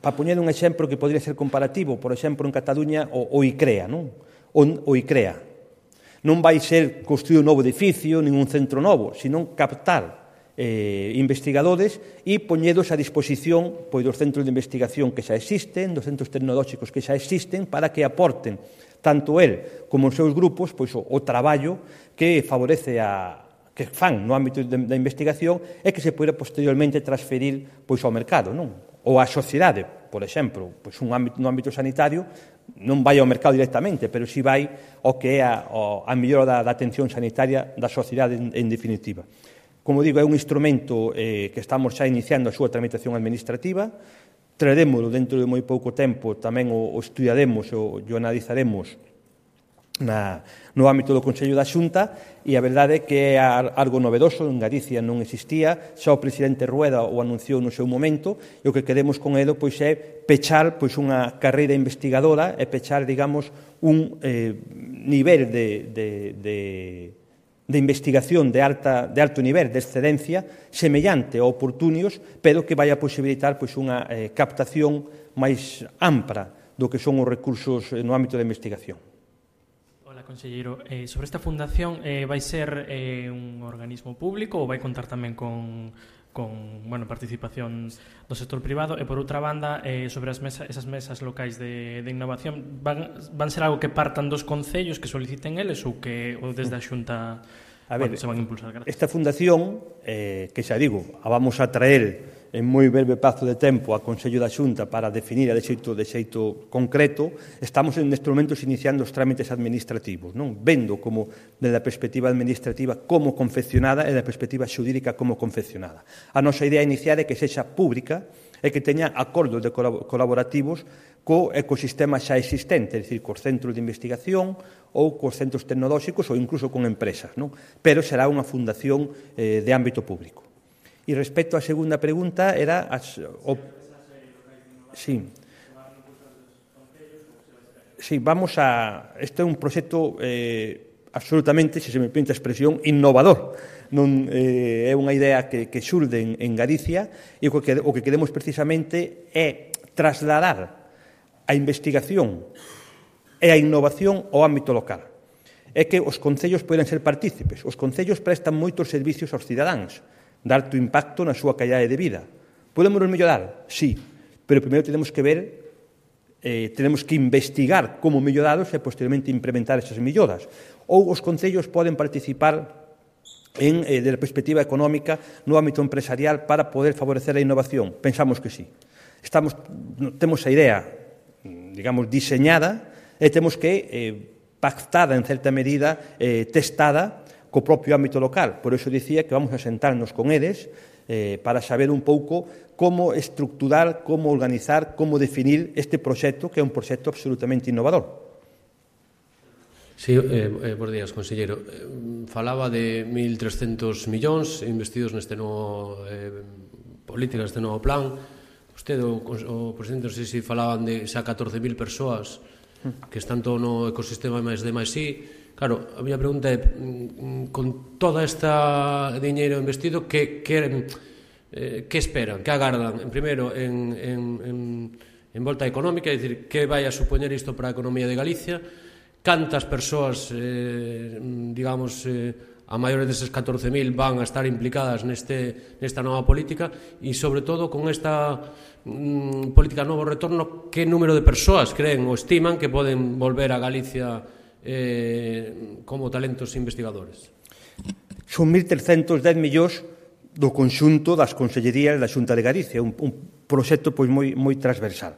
Speaker 2: Para poñer un exemplo que podría ser comparativo, por exemplo, en Cataluña, o, o ICREA, non? O, o ICREA. Non vai ser construir un novo edificio, nin un centro novo, sino captar eh, investigadores e poñedos a disposición pois, dos centros de investigación que xa existen, dos centros tecnolóxicos que xa existen, para que aporten tanto el como os seus grupos pois, o, o traballo que favorece a que fan no ámbito da investigación e que se poida posteriormente transferir pois, ao mercado, non? Ou á sociedade, por exemplo, pois un ámbito, no ámbito sanitario non vai ao mercado directamente, pero si vai ao que é a, a mellora da, da atención sanitaria da sociedade en, en definitiva. Como digo, é un instrumento eh, que estamos xa iniciando a súa tramitación administrativa, traeremoslo dentro de moi pouco tempo, tamén o, o estudiaremos o, o analizaremos na, no ámbito do Consello da Xunta, e a verdade é que é algo novedoso, en Galicia non existía, xa o presidente Rueda o anunciou no seu momento, e o que queremos con ele pois, é pechar pois, unha carreira investigadora e pechar, digamos, un eh, nivel de, de, de de investigación de, alta, de alto nivel, de excedencia, semellante a oportunios, pero que vai a posibilitar pois, unha eh, captación máis ampla do que son os recursos no ámbito da investigación.
Speaker 4: Hola, conselleiro. Eh, sobre esta fundación, eh, vai ser eh, un organismo público ou vai contar tamén con, con bueno, participación do sector privado? E, por outra banda, eh, sobre as mesa, esas mesas locais de, de innovación, van, van ser algo que partan dos concellos que soliciten eles ou que ou desde a Xunta a ver, bueno, se van a impulsar? Gracias.
Speaker 2: Esta fundación, eh, que xa digo, a vamos a traer en moi breve prazo de tempo a Consello da Xunta para definir de xeito, de xeito concreto, estamos nestes momentos iniciando os trámites administrativos, non? Vendo como, desde a perspectiva administrativa, como confeccionada e da perspectiva xurídica como confeccionada. A nosa idea inicial é que sexa pública e que teña acordos de colaborativos co ecosistema xa existente, é dicir, cos centros de investigación ou cos centros tecnolóxicos ou incluso con empresas, non? Pero será unha fundación eh, de ámbito público. E respecto á segunda pregunta, era... As, o, sí. Sí, vamos a... Este é un proxecto eh, absolutamente, se se me permite a expresión, innovador. Non, eh, é unha idea que, que xurde en, en Galicia e o que, o que queremos precisamente é trasladar a investigación e a innovación ao ámbito local. É que os concellos poden ser partícipes. Os concellos prestan moitos servicios aos cidadáns, de alto impacto na súa calidade de vida. Podemos mellorar? Sí, pero primeiro tenemos que ver, eh, tenemos que investigar como mellorados e posteriormente implementar esas melloras. Ou os concellos poden participar en, eh, desde a perspectiva económica no ámbito empresarial para poder favorecer a innovación. Pensamos que sí. Estamos, temos a idea, digamos, diseñada e temos que eh, pactada en certa medida, eh, testada co propio ámbito local. Por iso dicía que vamos a sentarnos con eles eh, para saber un pouco como estructurar, como organizar, como definir este proxecto, que é un proxecto absolutamente innovador.
Speaker 5: Sí, eh, bons días, conselleiro. Falaba de mil trescentos millóns investidos neste novo eh, política, neste novo plan. Usted, o, o presidente, non sei se falaban de xa catorce mil persoas que están todo no ecosistema máis de máis sí. Claro, a miña pregunta é, con toda esta diñeiro investido, que, que, eh, que esperan, que agardan, en primeiro, en, en, en, en volta económica, é dicir, que vai a supoñer isto para a economía de Galicia, cantas persoas, eh, digamos, eh, a maiores deses catorce mil van a estar implicadas neste, nesta nova política e, sobre todo, con esta mm, política novo retorno, que número de persoas creen ou estiman que poden volver a Galicia eh, como talentos investigadores?
Speaker 2: Son mil trescentos dez millóns do conxunto das consellerías da Xunta de Galicia, un, un proxecto pois moi, moi transversal.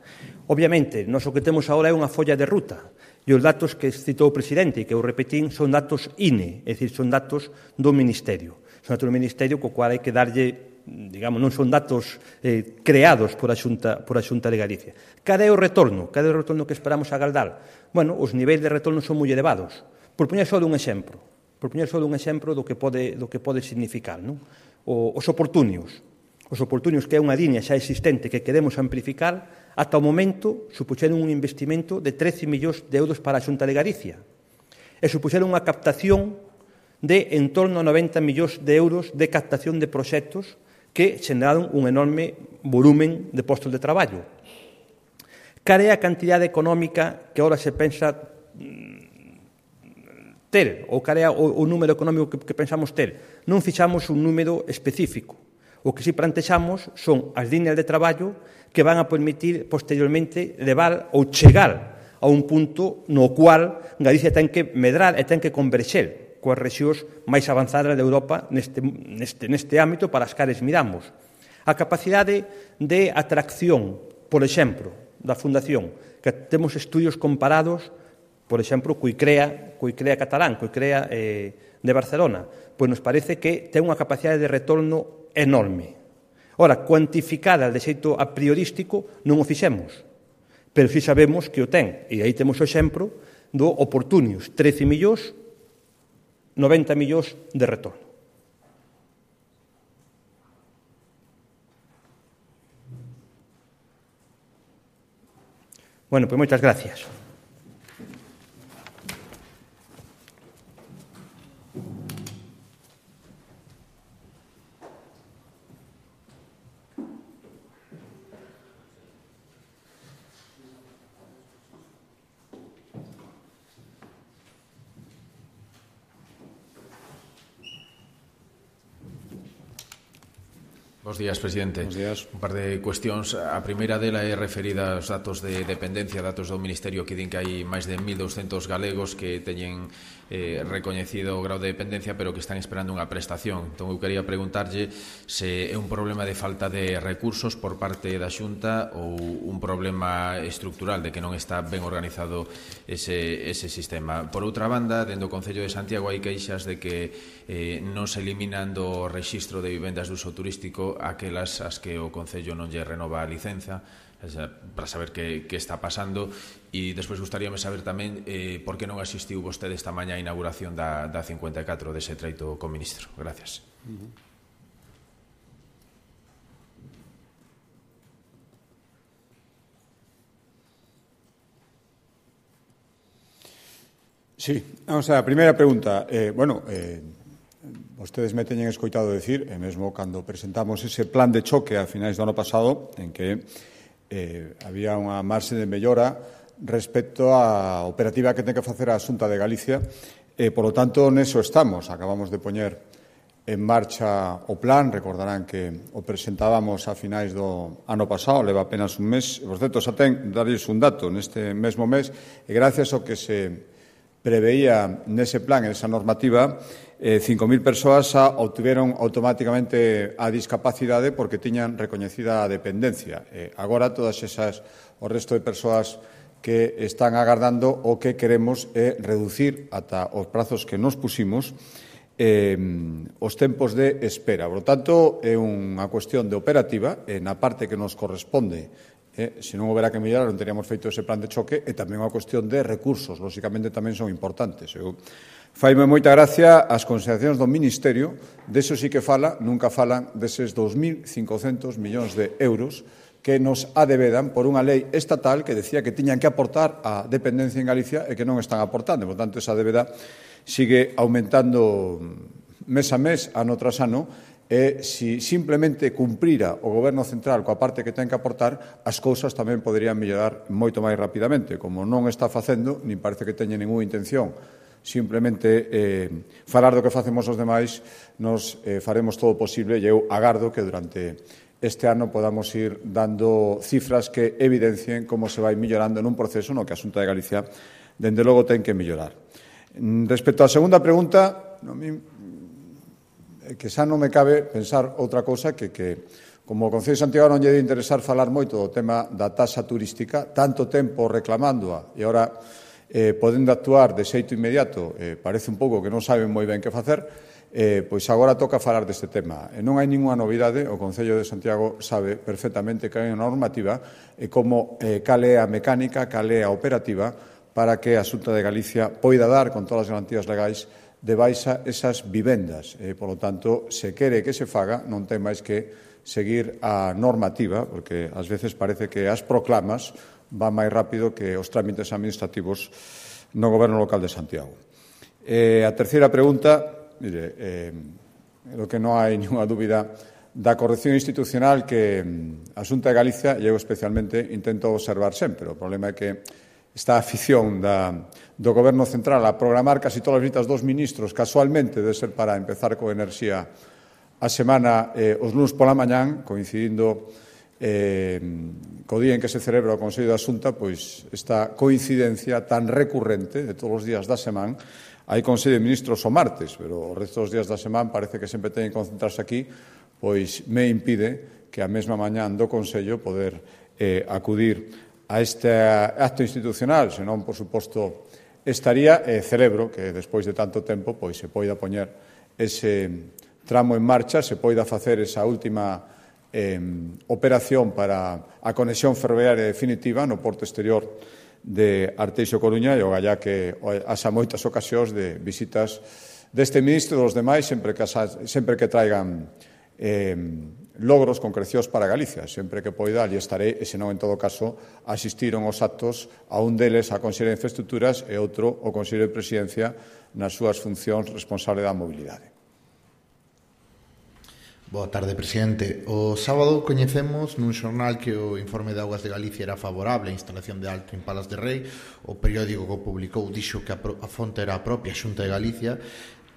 Speaker 2: Obviamente, nós o que temos agora é unha folla de ruta, e os datos que citou o presidente e que eu repetín son datos I N E, é dicir, son datos do Ministerio. Son datos do Ministerio co cual hai que darlle, digamos, non son datos eh, creados por a, Xunta, por a Xunta de Galicia. Cada é o retorno? Cada é o retorno que esperamos agardar? Bueno, os niveis de retorno son moi elevados. Por poñer só un exemplo, por poñer só un exemplo do que pode, do que pode significar, non? O, os oportunios. Os oportunios, que é unha liña xa existente que queremos amplificar, ata o momento supuxeron un investimento de trece millóns de euros para a Xunta de Galicia e supuxeron unha captación de en torno a noventa millóns de euros de captación de proxectos que xeraron un enorme volumen de postos de traballo. Cal é a cantidade económica que agora se pensa ter, ou cal é o, o número económico que, que pensamos ter? Non fixamos un número específico. O que si plantexamos son as líneas de traballo que van a permitir posteriormente levar ou chegar a un punto no cual Galicia ten que medrar e ten que converxer coas rexións máis avanzadas de Europa neste, neste, neste ámbito para as cales miramos. A capacidade de atracción, por exemplo, da Fundación, que temos estudios comparados, por exemplo, co ICREA, co ICREA catalán, co ICREA eh, de Barcelona, pois nos parece que ten unha capacidade de retorno enorme. Ora, cuantificada de xeito a priorístico non o fixemos, pero si sabemos que o ten, e aí temos o exemplo do Oportunius, trece millóns, noventa millóns de retorno. Bueno, pois moitas gracias.
Speaker 6: Bos días, presidente.
Speaker 1: Bos días.
Speaker 6: Un par de cuestións. A primeira dela é referida aos datos de dependencia, datos do Ministerio que din que hai máis de mil douscentos galegos que teñen eh, recoñecido o grau de dependencia, pero que están esperando unha prestación. Entón, eu quería preguntarlle se é un problema de falta de recursos por parte da Xunta ou un problema estructural de que non está ben organizado ese, ese sistema. Por outra banda, dentro do Concello de Santiago hai queixas de que eh, non se eliminan do rexistro de vivendas de uso turístico aquelas as que o Concello non lle renova a licenza, para saber que, que está pasando. E despois gustaríame saber tamén eh, por que non asistiu vostede esta mañá a inauguración da, da cincuenta e catro dese treito co ministro. Gracias. Uh-huh.
Speaker 1: Sí, vamos a la primeira pregunta. Eh, bueno, eh, vostedes me teñen escoitado decir, e mesmo cando presentamos ese plan de choque a finais do ano pasado, en que eh, había unha marxe de mellora respecto á operativa que ten que facer a Xunta de Galicia, e, por lo tanto, neso estamos. Acabamos de poñer en marcha o plan, recordarán que o presentábamos a finais do ano pasado, leva apenas un mes, e, por certo, xa ten, darles un dato, neste mesmo mes, e gracias ao que se preveía nese plan, en esa normativa, eh, cinco mil persoas obtiveron automáticamente a discapacidade porque tiñan recoñecida a dependencia. Eh, agora, todas esas, o resto de persoas que están agardando, o que queremos é reducir ata os prazos que nos pusimos eh, os tempos de espera. Por lo tanto, é unha cuestión de operativa, e na parte que nos corresponde. Eh, se non houbera que mellorar, non teríamos feito ese plan de choque, e tamén unha cuestión de recursos, lóxicamente tamén son importantes. Eu faime moita gracia as consideracións do Ministerio, deso sí que fala, nunca falan deses dos mil cincocentos millóns de euros que nos adevedan por unha lei estatal que decía que tiñan que aportar a dependencia en Galicia e que non están aportando. Por tanto, esa débeda sigue aumentando mes a mes, ano tras ano, e se simplemente cumprira o Goberno central coa parte que ten que aportar, as cousas tamén poderían mellorar moito máis rapidamente. Como non está facendo, nin parece que teña ninguna intención, simplemente eh, falar do que facemos os demais, nos eh, faremos todo o posible, e eu agardo que durante este ano podamos ir dando cifras que evidencien como se vai mellorando nun proceso no que a Xunta de Galicia, dende logo, ten que mellorar. Respecto á segunda pregunta, no, que xa non me cabe pensar outra cousa que, que como o Concello de Santiago non lle debe interesar falar moito do tema da taxa turística, tanto tempo reclamándoa e agora eh, podendo actuar de xeito inmediato, eh, parece un pouco que non saben moi ben que facer, eh, pois agora toca falar deste tema. E non hai ninguna novidade, o Concello de Santiago sabe perfectamente que hai unha normativa e como eh, cal é a mecánica, cal é a operativa para que a Xunta de Galicia poida dar con todas as garantías legais de baixa esas vivendas. Eh, por lo tanto, se quere que se faga, non ten máis que seguir a normativa, porque ás veces parece que as proclamas van máis rápido que os trámites administrativos no Goberno local de Santiago. Eh, a terceira pregunta, mire, eh, lo que non hai ninguna dúbida da corrección institucional que a Xunta de Galicia, e eu especialmente, intento observar sempre. O problema é que esta afición da, do Goberno central a programar casi todas as visitas dos ministros, casualmente, debe ser para empezar con enerxía a semana eh, os lunes pola mañán, coincidindo eh, co día en que se celebra o Consello da Xunta, pois esta coincidencia tan recurrente de todos os días da semana. Hai Consello de Ministros o martes, pero o resto dos días da semana parece que sempre teñen que concentrarse aquí, pois me impide que a mesma mañán do Consello poder eh, acudir a este acto institucional, senón, por suposto, estaría, e eh, celebro que despois de tanto tempo pois se poida poñer ese tramo en marcha, se poida facer esa última eh, operación para a conexión ferroviaria definitiva no porto exterior de Arteixo Coruña e o gallá que haxa moitas ocasións de visitas deste ministro e dos demais sempre que, sempre que traigan eh, logros concrecións para Galicia. Sempre que poida, ali estarei, e senón, en todo caso, asistiron os actos a un deles a Conselleira de Infraestructuras e outro o Conselleiro de Presidencia nas súas funcións responsable da mobilidade.
Speaker 7: Boa tarde, presidente. O sábado coñecemos nun xornal que o informe de Augas de Galicia era favorable á instalación de Altri en Palas de Rei. O periódico que o publicou dixo que a, a fonte era a propia Xunta de Galicia.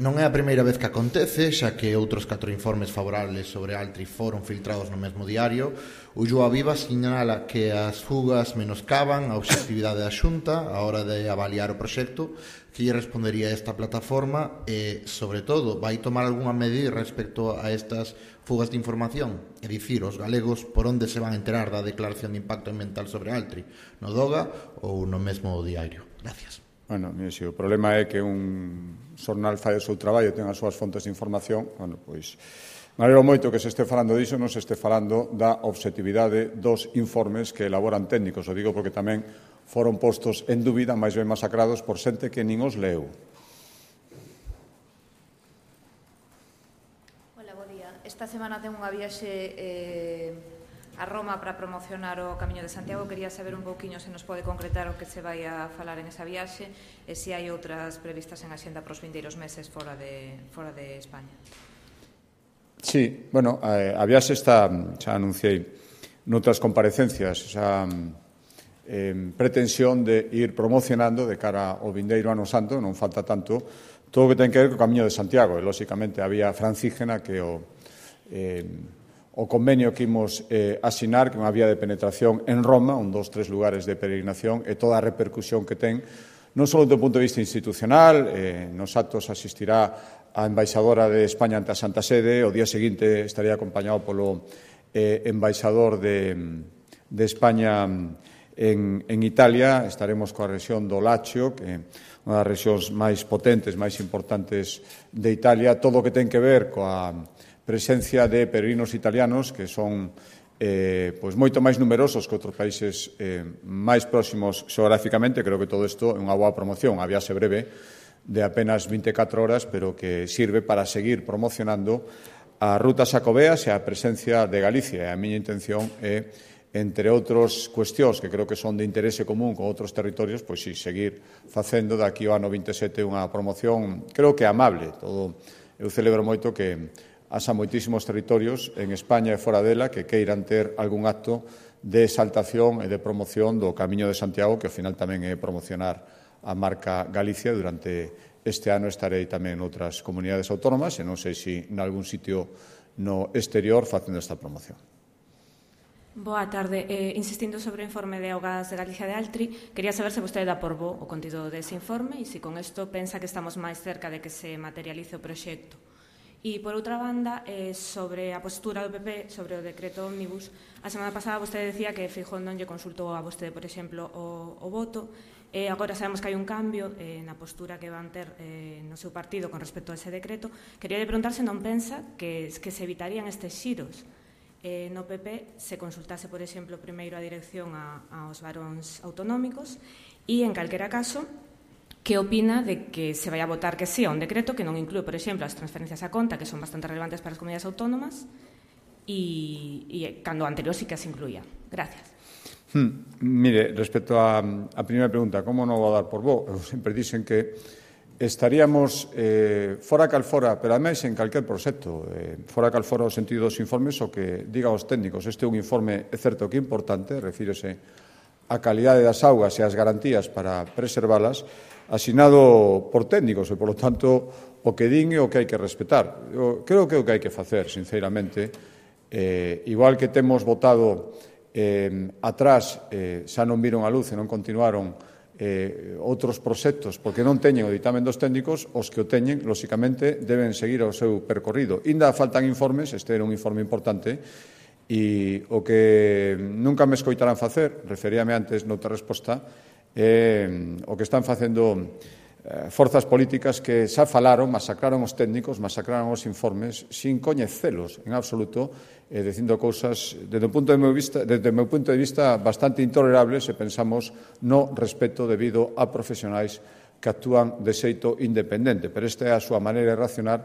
Speaker 7: Non é a primeira vez que acontece, xa que outros catro informes favorables sobre Altri foron filtrados no mesmo diario. O Ulloa Viva sinala que as fugas menoscaban a obxectividade da Xunta a hora de avaliar o proxecto. Que lle respondería esta plataforma e, sobre todo, vai tomar algunha medida respecto a estas fugas de información? É dicir, os galegos por onde se van a enterar da declaración de impacto ambiental sobre Altri? No Doga ou no mesmo diario? Gracias.
Speaker 1: Bueno, mire, se o problema é que un xornal fai o seu traballo e ten as súas fontes de información, bueno, pois me alegro moito que se este falando diso, non se este falando da obxectividade dos informes que elaboran técnicos. O digo porque tamén foron postos en dúbida, máis ben masacrados, por xente que nin os leu.
Speaker 8: Hola, bo día. Esta semana ten unha viaxe eh, a Roma para promocionar o Camiño de Santiago. Quería saber un pouquiño se nos pode concretar o que se vai a falar en esa viaxe e se hai outras previstas en axenda para os vindeiros meses fora de, fora de España.
Speaker 1: Sí, bueno, a, a viaxe está, xa anunciei noutras comparecencias, esa eh, pretensión de ir promocionando de cara ao vindeiro ano santo, non falta tanto, todo o que ten que ver co Camiño de Santiago. E, lóxicamente, a vía francígena que o, eh, o convenio que imos eh, asinar, que é unha vía de penetración en Roma, un dos, tres lugares de peregrinación, e toda a repercusión que ten, non só do punto de vista institucional, eh, nos actos asistirá a embaixadora de España ante a Santa Sede, o día seguinte estaría acompañado polo eh, embaixador de, de España en, en Italia. Estaremos coa rexión do Lacio, que é unha das rexións máis potentes, máis importantes de Italia. Todo o que ten que ver coa presencia de peregrinos italianos, que son eh, pois moito máis numerosos que outros países eh, máis próximos xeográficamente. Creo que todo isto é unha boa promoción, a viaxe breve de apenas vinte e catro horas, pero que sirve para seguir promocionando a ruta Xacobeas e a presencia de Galicia. E a miña intención é, entre outras cuestións que creo que son de interese común con outros territorios, pois sí, seguir facendo daqui ao ano vinte e sete unha promoción, creo que amable. Todo, eu celebro moito que haxa moitísimos territorios en España e fora dela que queiran ter algún acto de exaltación e de promoción do Camiño de Santiago, que ao final tamén é promocionar a marca Galicia. Durante este ano estarei tamén en outras comunidades autónomas e non sei se en algún sitio no exterior facendo esta promoción.
Speaker 8: Boa tarde. Eh, insistindo sobre o informe de Augas de Galicia de Altri, quería saber se vostede dá por bo o contido dese informe e se con isto pensa que estamos máis cerca de que se materialice o proxecto. E, por outra banda, eh, sobre a postura do P P sobre o decreto ómnibus, a semana pasada vostede decía que Feijóo non lle consultou a vostede, por exemplo, o, o voto. Eh, agora sabemos que hai un cambio eh, na postura que van ter eh, no seu partido con respecto a ese decreto. Quería de preguntar se non pensa que, que se evitarían estes xiros eh, no P P se consultase, por exemplo, primeiro a dirección a, aos varóns autonómicos e, en calquera caso, que opina de que se vai a votar que sí a un decreto que non inclúe, por exemplo, as transferencias a conta, que son bastante relevantes para as comunidades autónomas, e, e cando anterior sí que as incluía. Gracias.
Speaker 1: Hmm, mire, respecto a, a primeira pregunta, como non vou dar por bo? Sempre dicen que estaríamos eh, fora cal fora, pero ademais en calquer proxecto, eh, fora cal fora o sentido dos informes, o que diga os técnicos. Este é un informe, é certo que importante, refírese á calidade das augas e ás garantías para preservalas, asinado por técnicos e, polo tanto, o que din é o que hai que respetar. Eu creo que é o que hai que facer, sinceramente. Eh, igual que temos votado eh, atrás, eh, xa non viron a luz e non continuaron eh, outros proxectos porque non teñen o ditamen dos técnicos, os que o teñen, lóxicamente, deben seguir o seu percorrido. Inda faltan informes, este era un informe importante, e o que nunca me escoitarán facer, referíame antes noutra resposta, é o que están facendo eh, forzas políticas que xa falaron, masacraron os técnicos, masacraron os informes, sin coñecelos en absoluto, eh, dicindo cousas, desde o punto de meu vista, desde o meu punto de vista, bastante intolerables se pensamos no respeto debido a profesionais que actúan de xeito independente, pero esta é a súa maneira de racionar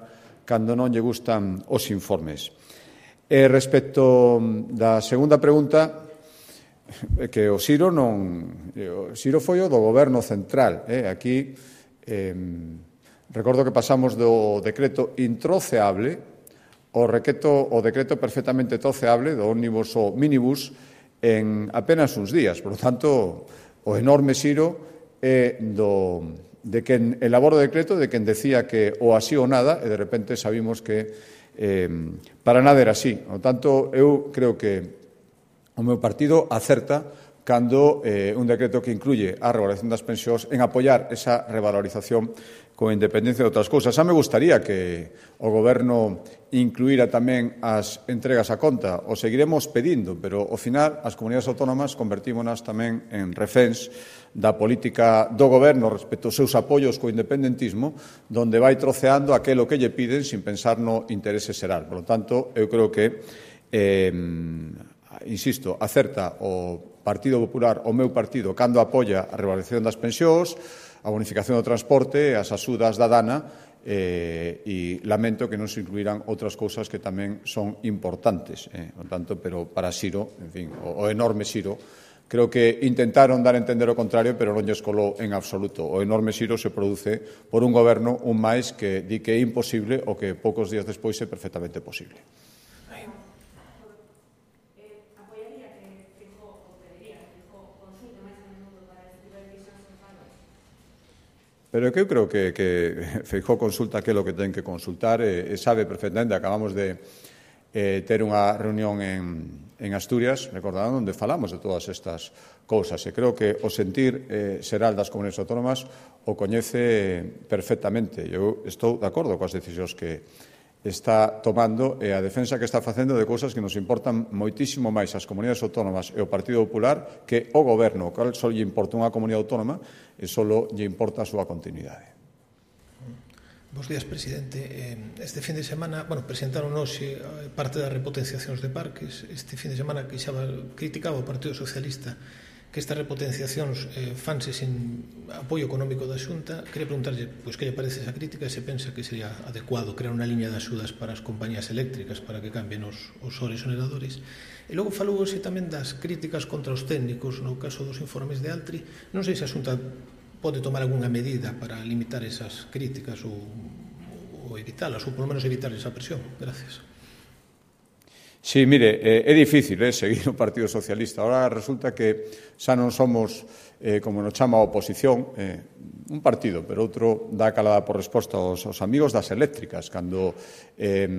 Speaker 1: cando non lle gustan os informes. E respecto da segunda pregunta, que o Siro non... O Siro foi o do Goberno Central. Eh? Aquí, eh, recordo que pasamos do decreto introceable ao decreto, o decreto perfectamente troceable do ómnibus ou minibus en apenas uns días. Por lo tanto, o enorme Siro é do, de quen elabora o decreto, de quen decía que o así ou nada, e de repente sabimos que Eh, para nada era así. Por tanto, eu creo que o meu partido acerta cando eh, un decreto que incluye a revalorización das pensións en apoiar esa revalorización con independencia de outras cousas. Xa me gustaría que o Goberno incluíra tamén as entregas a conta. O seguiremos pedindo, pero ao final as comunidades autónomas convertímonas tamén en reféns da política do Goberno respecto aos seus apoios co independentismo, donde vai troceando aquelo que lle piden sin pensar no interese xeral. Por lo tanto, eu creo que, eh, insisto, acerta o Partido Popular, o meu partido, cando apoia a revalorización das pensións, a bonificación do transporte, as axudas da Dana, eh, e lamento que non se incluirán outras cousas que tamén son importantes. Eh, por tanto, pero para Siro, en fin, o, o enorme Siro, creo que intentaron dar a entender o contrario, pero non lles colou en absoluto. O enorme Siro se produce por un goberno, un máis, que di que é imposible o que poucos días despois é perfectamente posible. Pero que eu creo que, que Feijóo consulta aquilo que ten que consultar e, e sabe perfectamente. Acabamos de eh, ter unha reunión en, en Asturias, recordando, onde falamos de todas estas cousas. E creo que o sentir eh, xeral das comunidades autónomas o coñece perfectamente. Eu estou de acordo coas decisións que está tomando e a defensa que está facendo de cousas que nos importan moitísimo máis as comunidades autónomas e o Partido Popular que o Goberno, o cal só lle importa unha comunidade autónoma e só lle importa a súa continuidade.
Speaker 9: Bos días, presidente. Este fin de semana, bueno, presentaron hoxe parte das repotenciacións de parques. Este fin de semana quixaba, criticaba o Partido Socialista que estas repotenciacións eh, fanse sin apoio económico da Xunta. Quería preguntarlle pois, que lle parece esa crítica e se pensa que sería adecuado crear unha liña de axudas para as compañías eléctricas para que cambien os, os soresoneradores. E logo falou hoxe tamén das críticas contra os técnicos no caso dos informes de Altri. Non sei se a Xunta pode tomar algunha medida para limitar esas críticas ou, ou evitalas, ou polo menos evitar esa presión. Gracias.
Speaker 1: Sí, mire, eh, é difícil eh, seguir o Partido Socialista. Ahora resulta que xa non somos, eh, como nos chama a oposición, eh, un partido, pero outro dá calada por resposta aos, aos amigos das eléctricas. Cando eh,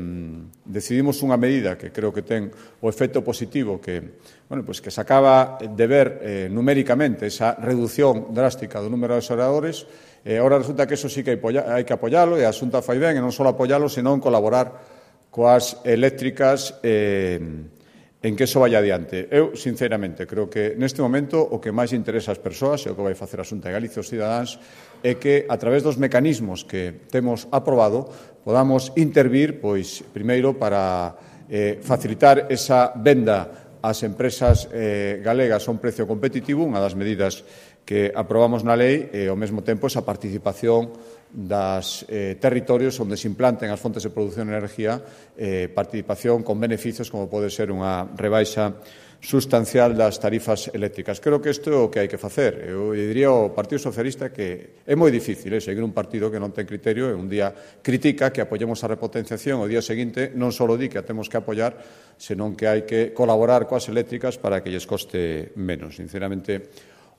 Speaker 1: decidimos unha medida que creo que ten o efecto positivo que, bueno, pues que se acaba de ver eh, numéricamente esa reducción drástica do número de xeradores, eh, ahora resulta que eso sí que hai que apoialo e a Xunta fai ben, e non só apoialo, senón colaborar coas eléctricas eh, en que eso vaya adiante. Eu, sinceramente, creo que neste momento o que máis interesa ás persoas e o que vai facer a Xunta de Galicia os cidadáns é que, a través dos mecanismos que temos aprobado, podamos intervir, pois, primeiro, para eh, facilitar esa venda ás empresas eh, galegas a un precio competitivo, unha das medidas que aprobamos na lei e, ao mesmo tempo, esa participación das eh, territorios onde se implanten as fontes de produción de energía, eh, participación con beneficios como pode ser unha rebaixa sustancial das tarifas eléctricas. Creo que isto é o que hai que facer. Eu diría ao Partido Socialista que é moi difícil eh, seguir un partido que non ten criterio e un día critica que apoyemos a repotenciación, o día seguinte non só di que a temos que apoiar, senón que hai que colaborar coas eléctricas para que lles coste menos. Sinceramente,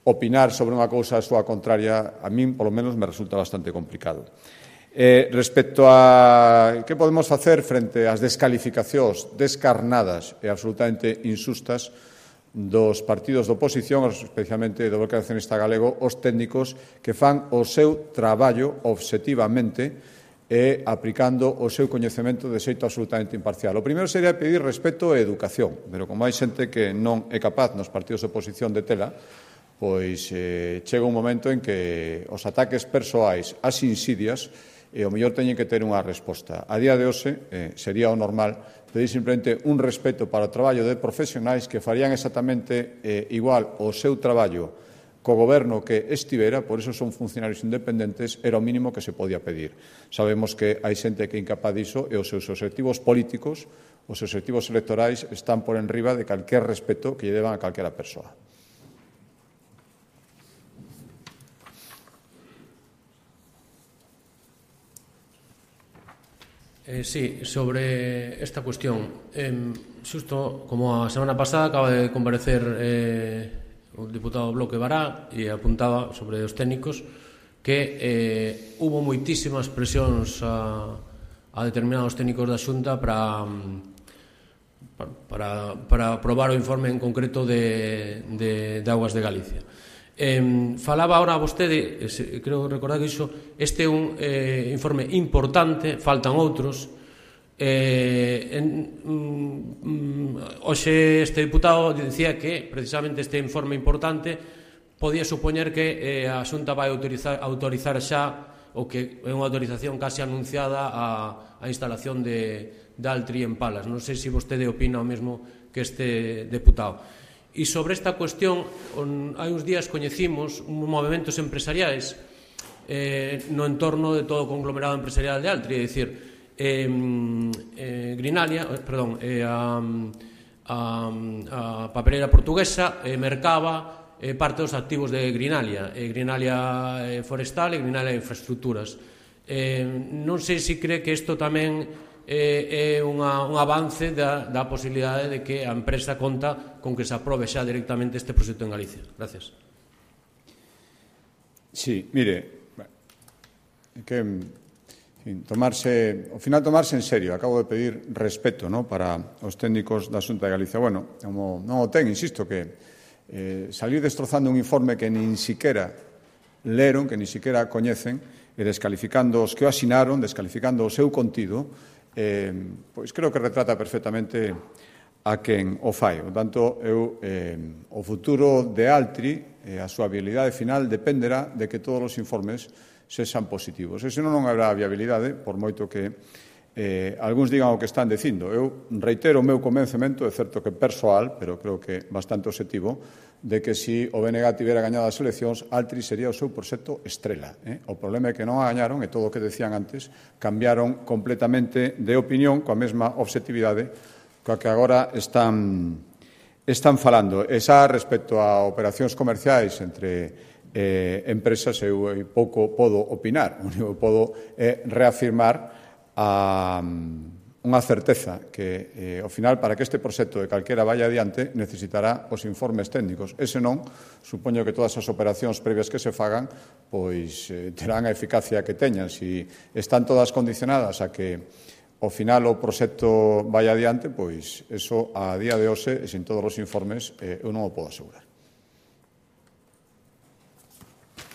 Speaker 1: opinar sobre unha cousa a súa contraria, a min, polo menos, me resulta bastante complicado. Eh, respecto a que podemos facer frente ás descalificacións descarnadas e absolutamente insustas dos partidos de oposición, especialmente do Bloque Nacionalista Galego, os técnicos que fan o seu traballo obxectivamente e aplicando o seu coñecemento de xeito absolutamente imparcial. O primeiro sería pedir respeto e educación, pero como hai xente que non é capaz nos partidos de oposición de tela, pois eh, chega un momento en que os ataques persoais, as insidias, e o mellor teñen que ter unha resposta. A día de hoxe eh, sería o normal pedir simplemente un respeto para o traballo de profesionais que farían exactamente eh, igual o seu traballo co goberno que estivera, por iso son funcionarios independentes, era o mínimo que se podía pedir. Sabemos que hai xente que é incapaz diso e os seus obxectivos políticos, os seus obxectivos electorais están por enriba de calquer respeto que lle deban a calquera persoa.
Speaker 5: Eh, sí, sobre esta cuestión, eh, xusto como a semana pasada acaba de comparecer eh, o diputado Bloque Bará e apuntaba sobre os técnicos que eh, hubo moitísimas presións a, a determinados técnicos da Xunta para, para, para aprobar o informe en concreto de, de, de Augas de Galicia. Eh, falaba ahora vostede, creo recordar que iso, este é un eh, informe importante, faltan outros. Eh, en, mm, hoxe este diputado dicía que precisamente este informe importante podía supoñer que eh, a Xunta vai autorizar, autorizar xa o que é unha autorización casi anunciada a, a instalación de, de Altri en Palas. Non sei se vostede opina o mesmo que este deputado. E sobre esta cuestión, hai uns días coñecimos uns movementos empresariais eh, no entorno de todo o conglomerado empresarial de Altri, é dicir, eh, eh, Grinalia, perdón, eh, a, a, a papeleira portuguesa eh, mercaba eh, parte dos activos de Grinalia, eh, Grinalia eh, Forestal e Grinalia Infraestructuras. Eh, non sei se cree que isto tamén é unha, un avance da, da posibilidade de que a empresa conta con que se aprobe xa directamente este proxecto en Galicia. Gracias.
Speaker 1: Sí, mire, que en tomarse, ao final tomarse en serio, acabo de pedir respeto, ¿no?, para os técnicos da Xunta de Galicia. Bueno, como non o ten, insisto, que eh, salir destrozando un informe que nin siquera leron, que nin siquera coñecen, e descalificando os que o asinaron, descalificando o seu contido, Eh, pois creo que retrata perfectamente a quen o fai. Por tanto, eu, eh, o futuro de Altri, eh, a súa viabilidade final, dependerá de que todos os informes sexan positivos. E senón non habrá viabilidade, por moito que eh, algúns digan o que están dicindo. Eu reitero o meu convencemento, é certo que persoal, pero creo que bastante objetivo, de que se o B N G tivera gañado as eleccións, Altri sería o seu proxecto estrela. Eh? O problema é que non a gañaron, e todo o que decían antes, cambiaron completamente de opinión, coa mesma objetividade coa que agora están, están falando. E xa respecto a operacións comerciais entre eh, empresas, eu pouco podo opinar, o único que podo é reafirmar a unha certeza que, eh, ao final, para que este proxecto de calquera vaya adiante, necesitará os informes técnicos. E senón, supoño que todas as operacións previas que se fagan, pois eh, terán a eficacia que teñan. Si están todas condicionadas a que ao final o proxecto vaya adiante, pois eso a día de hoxe, e sin todos os informes, eh, eu non o podo asegurar.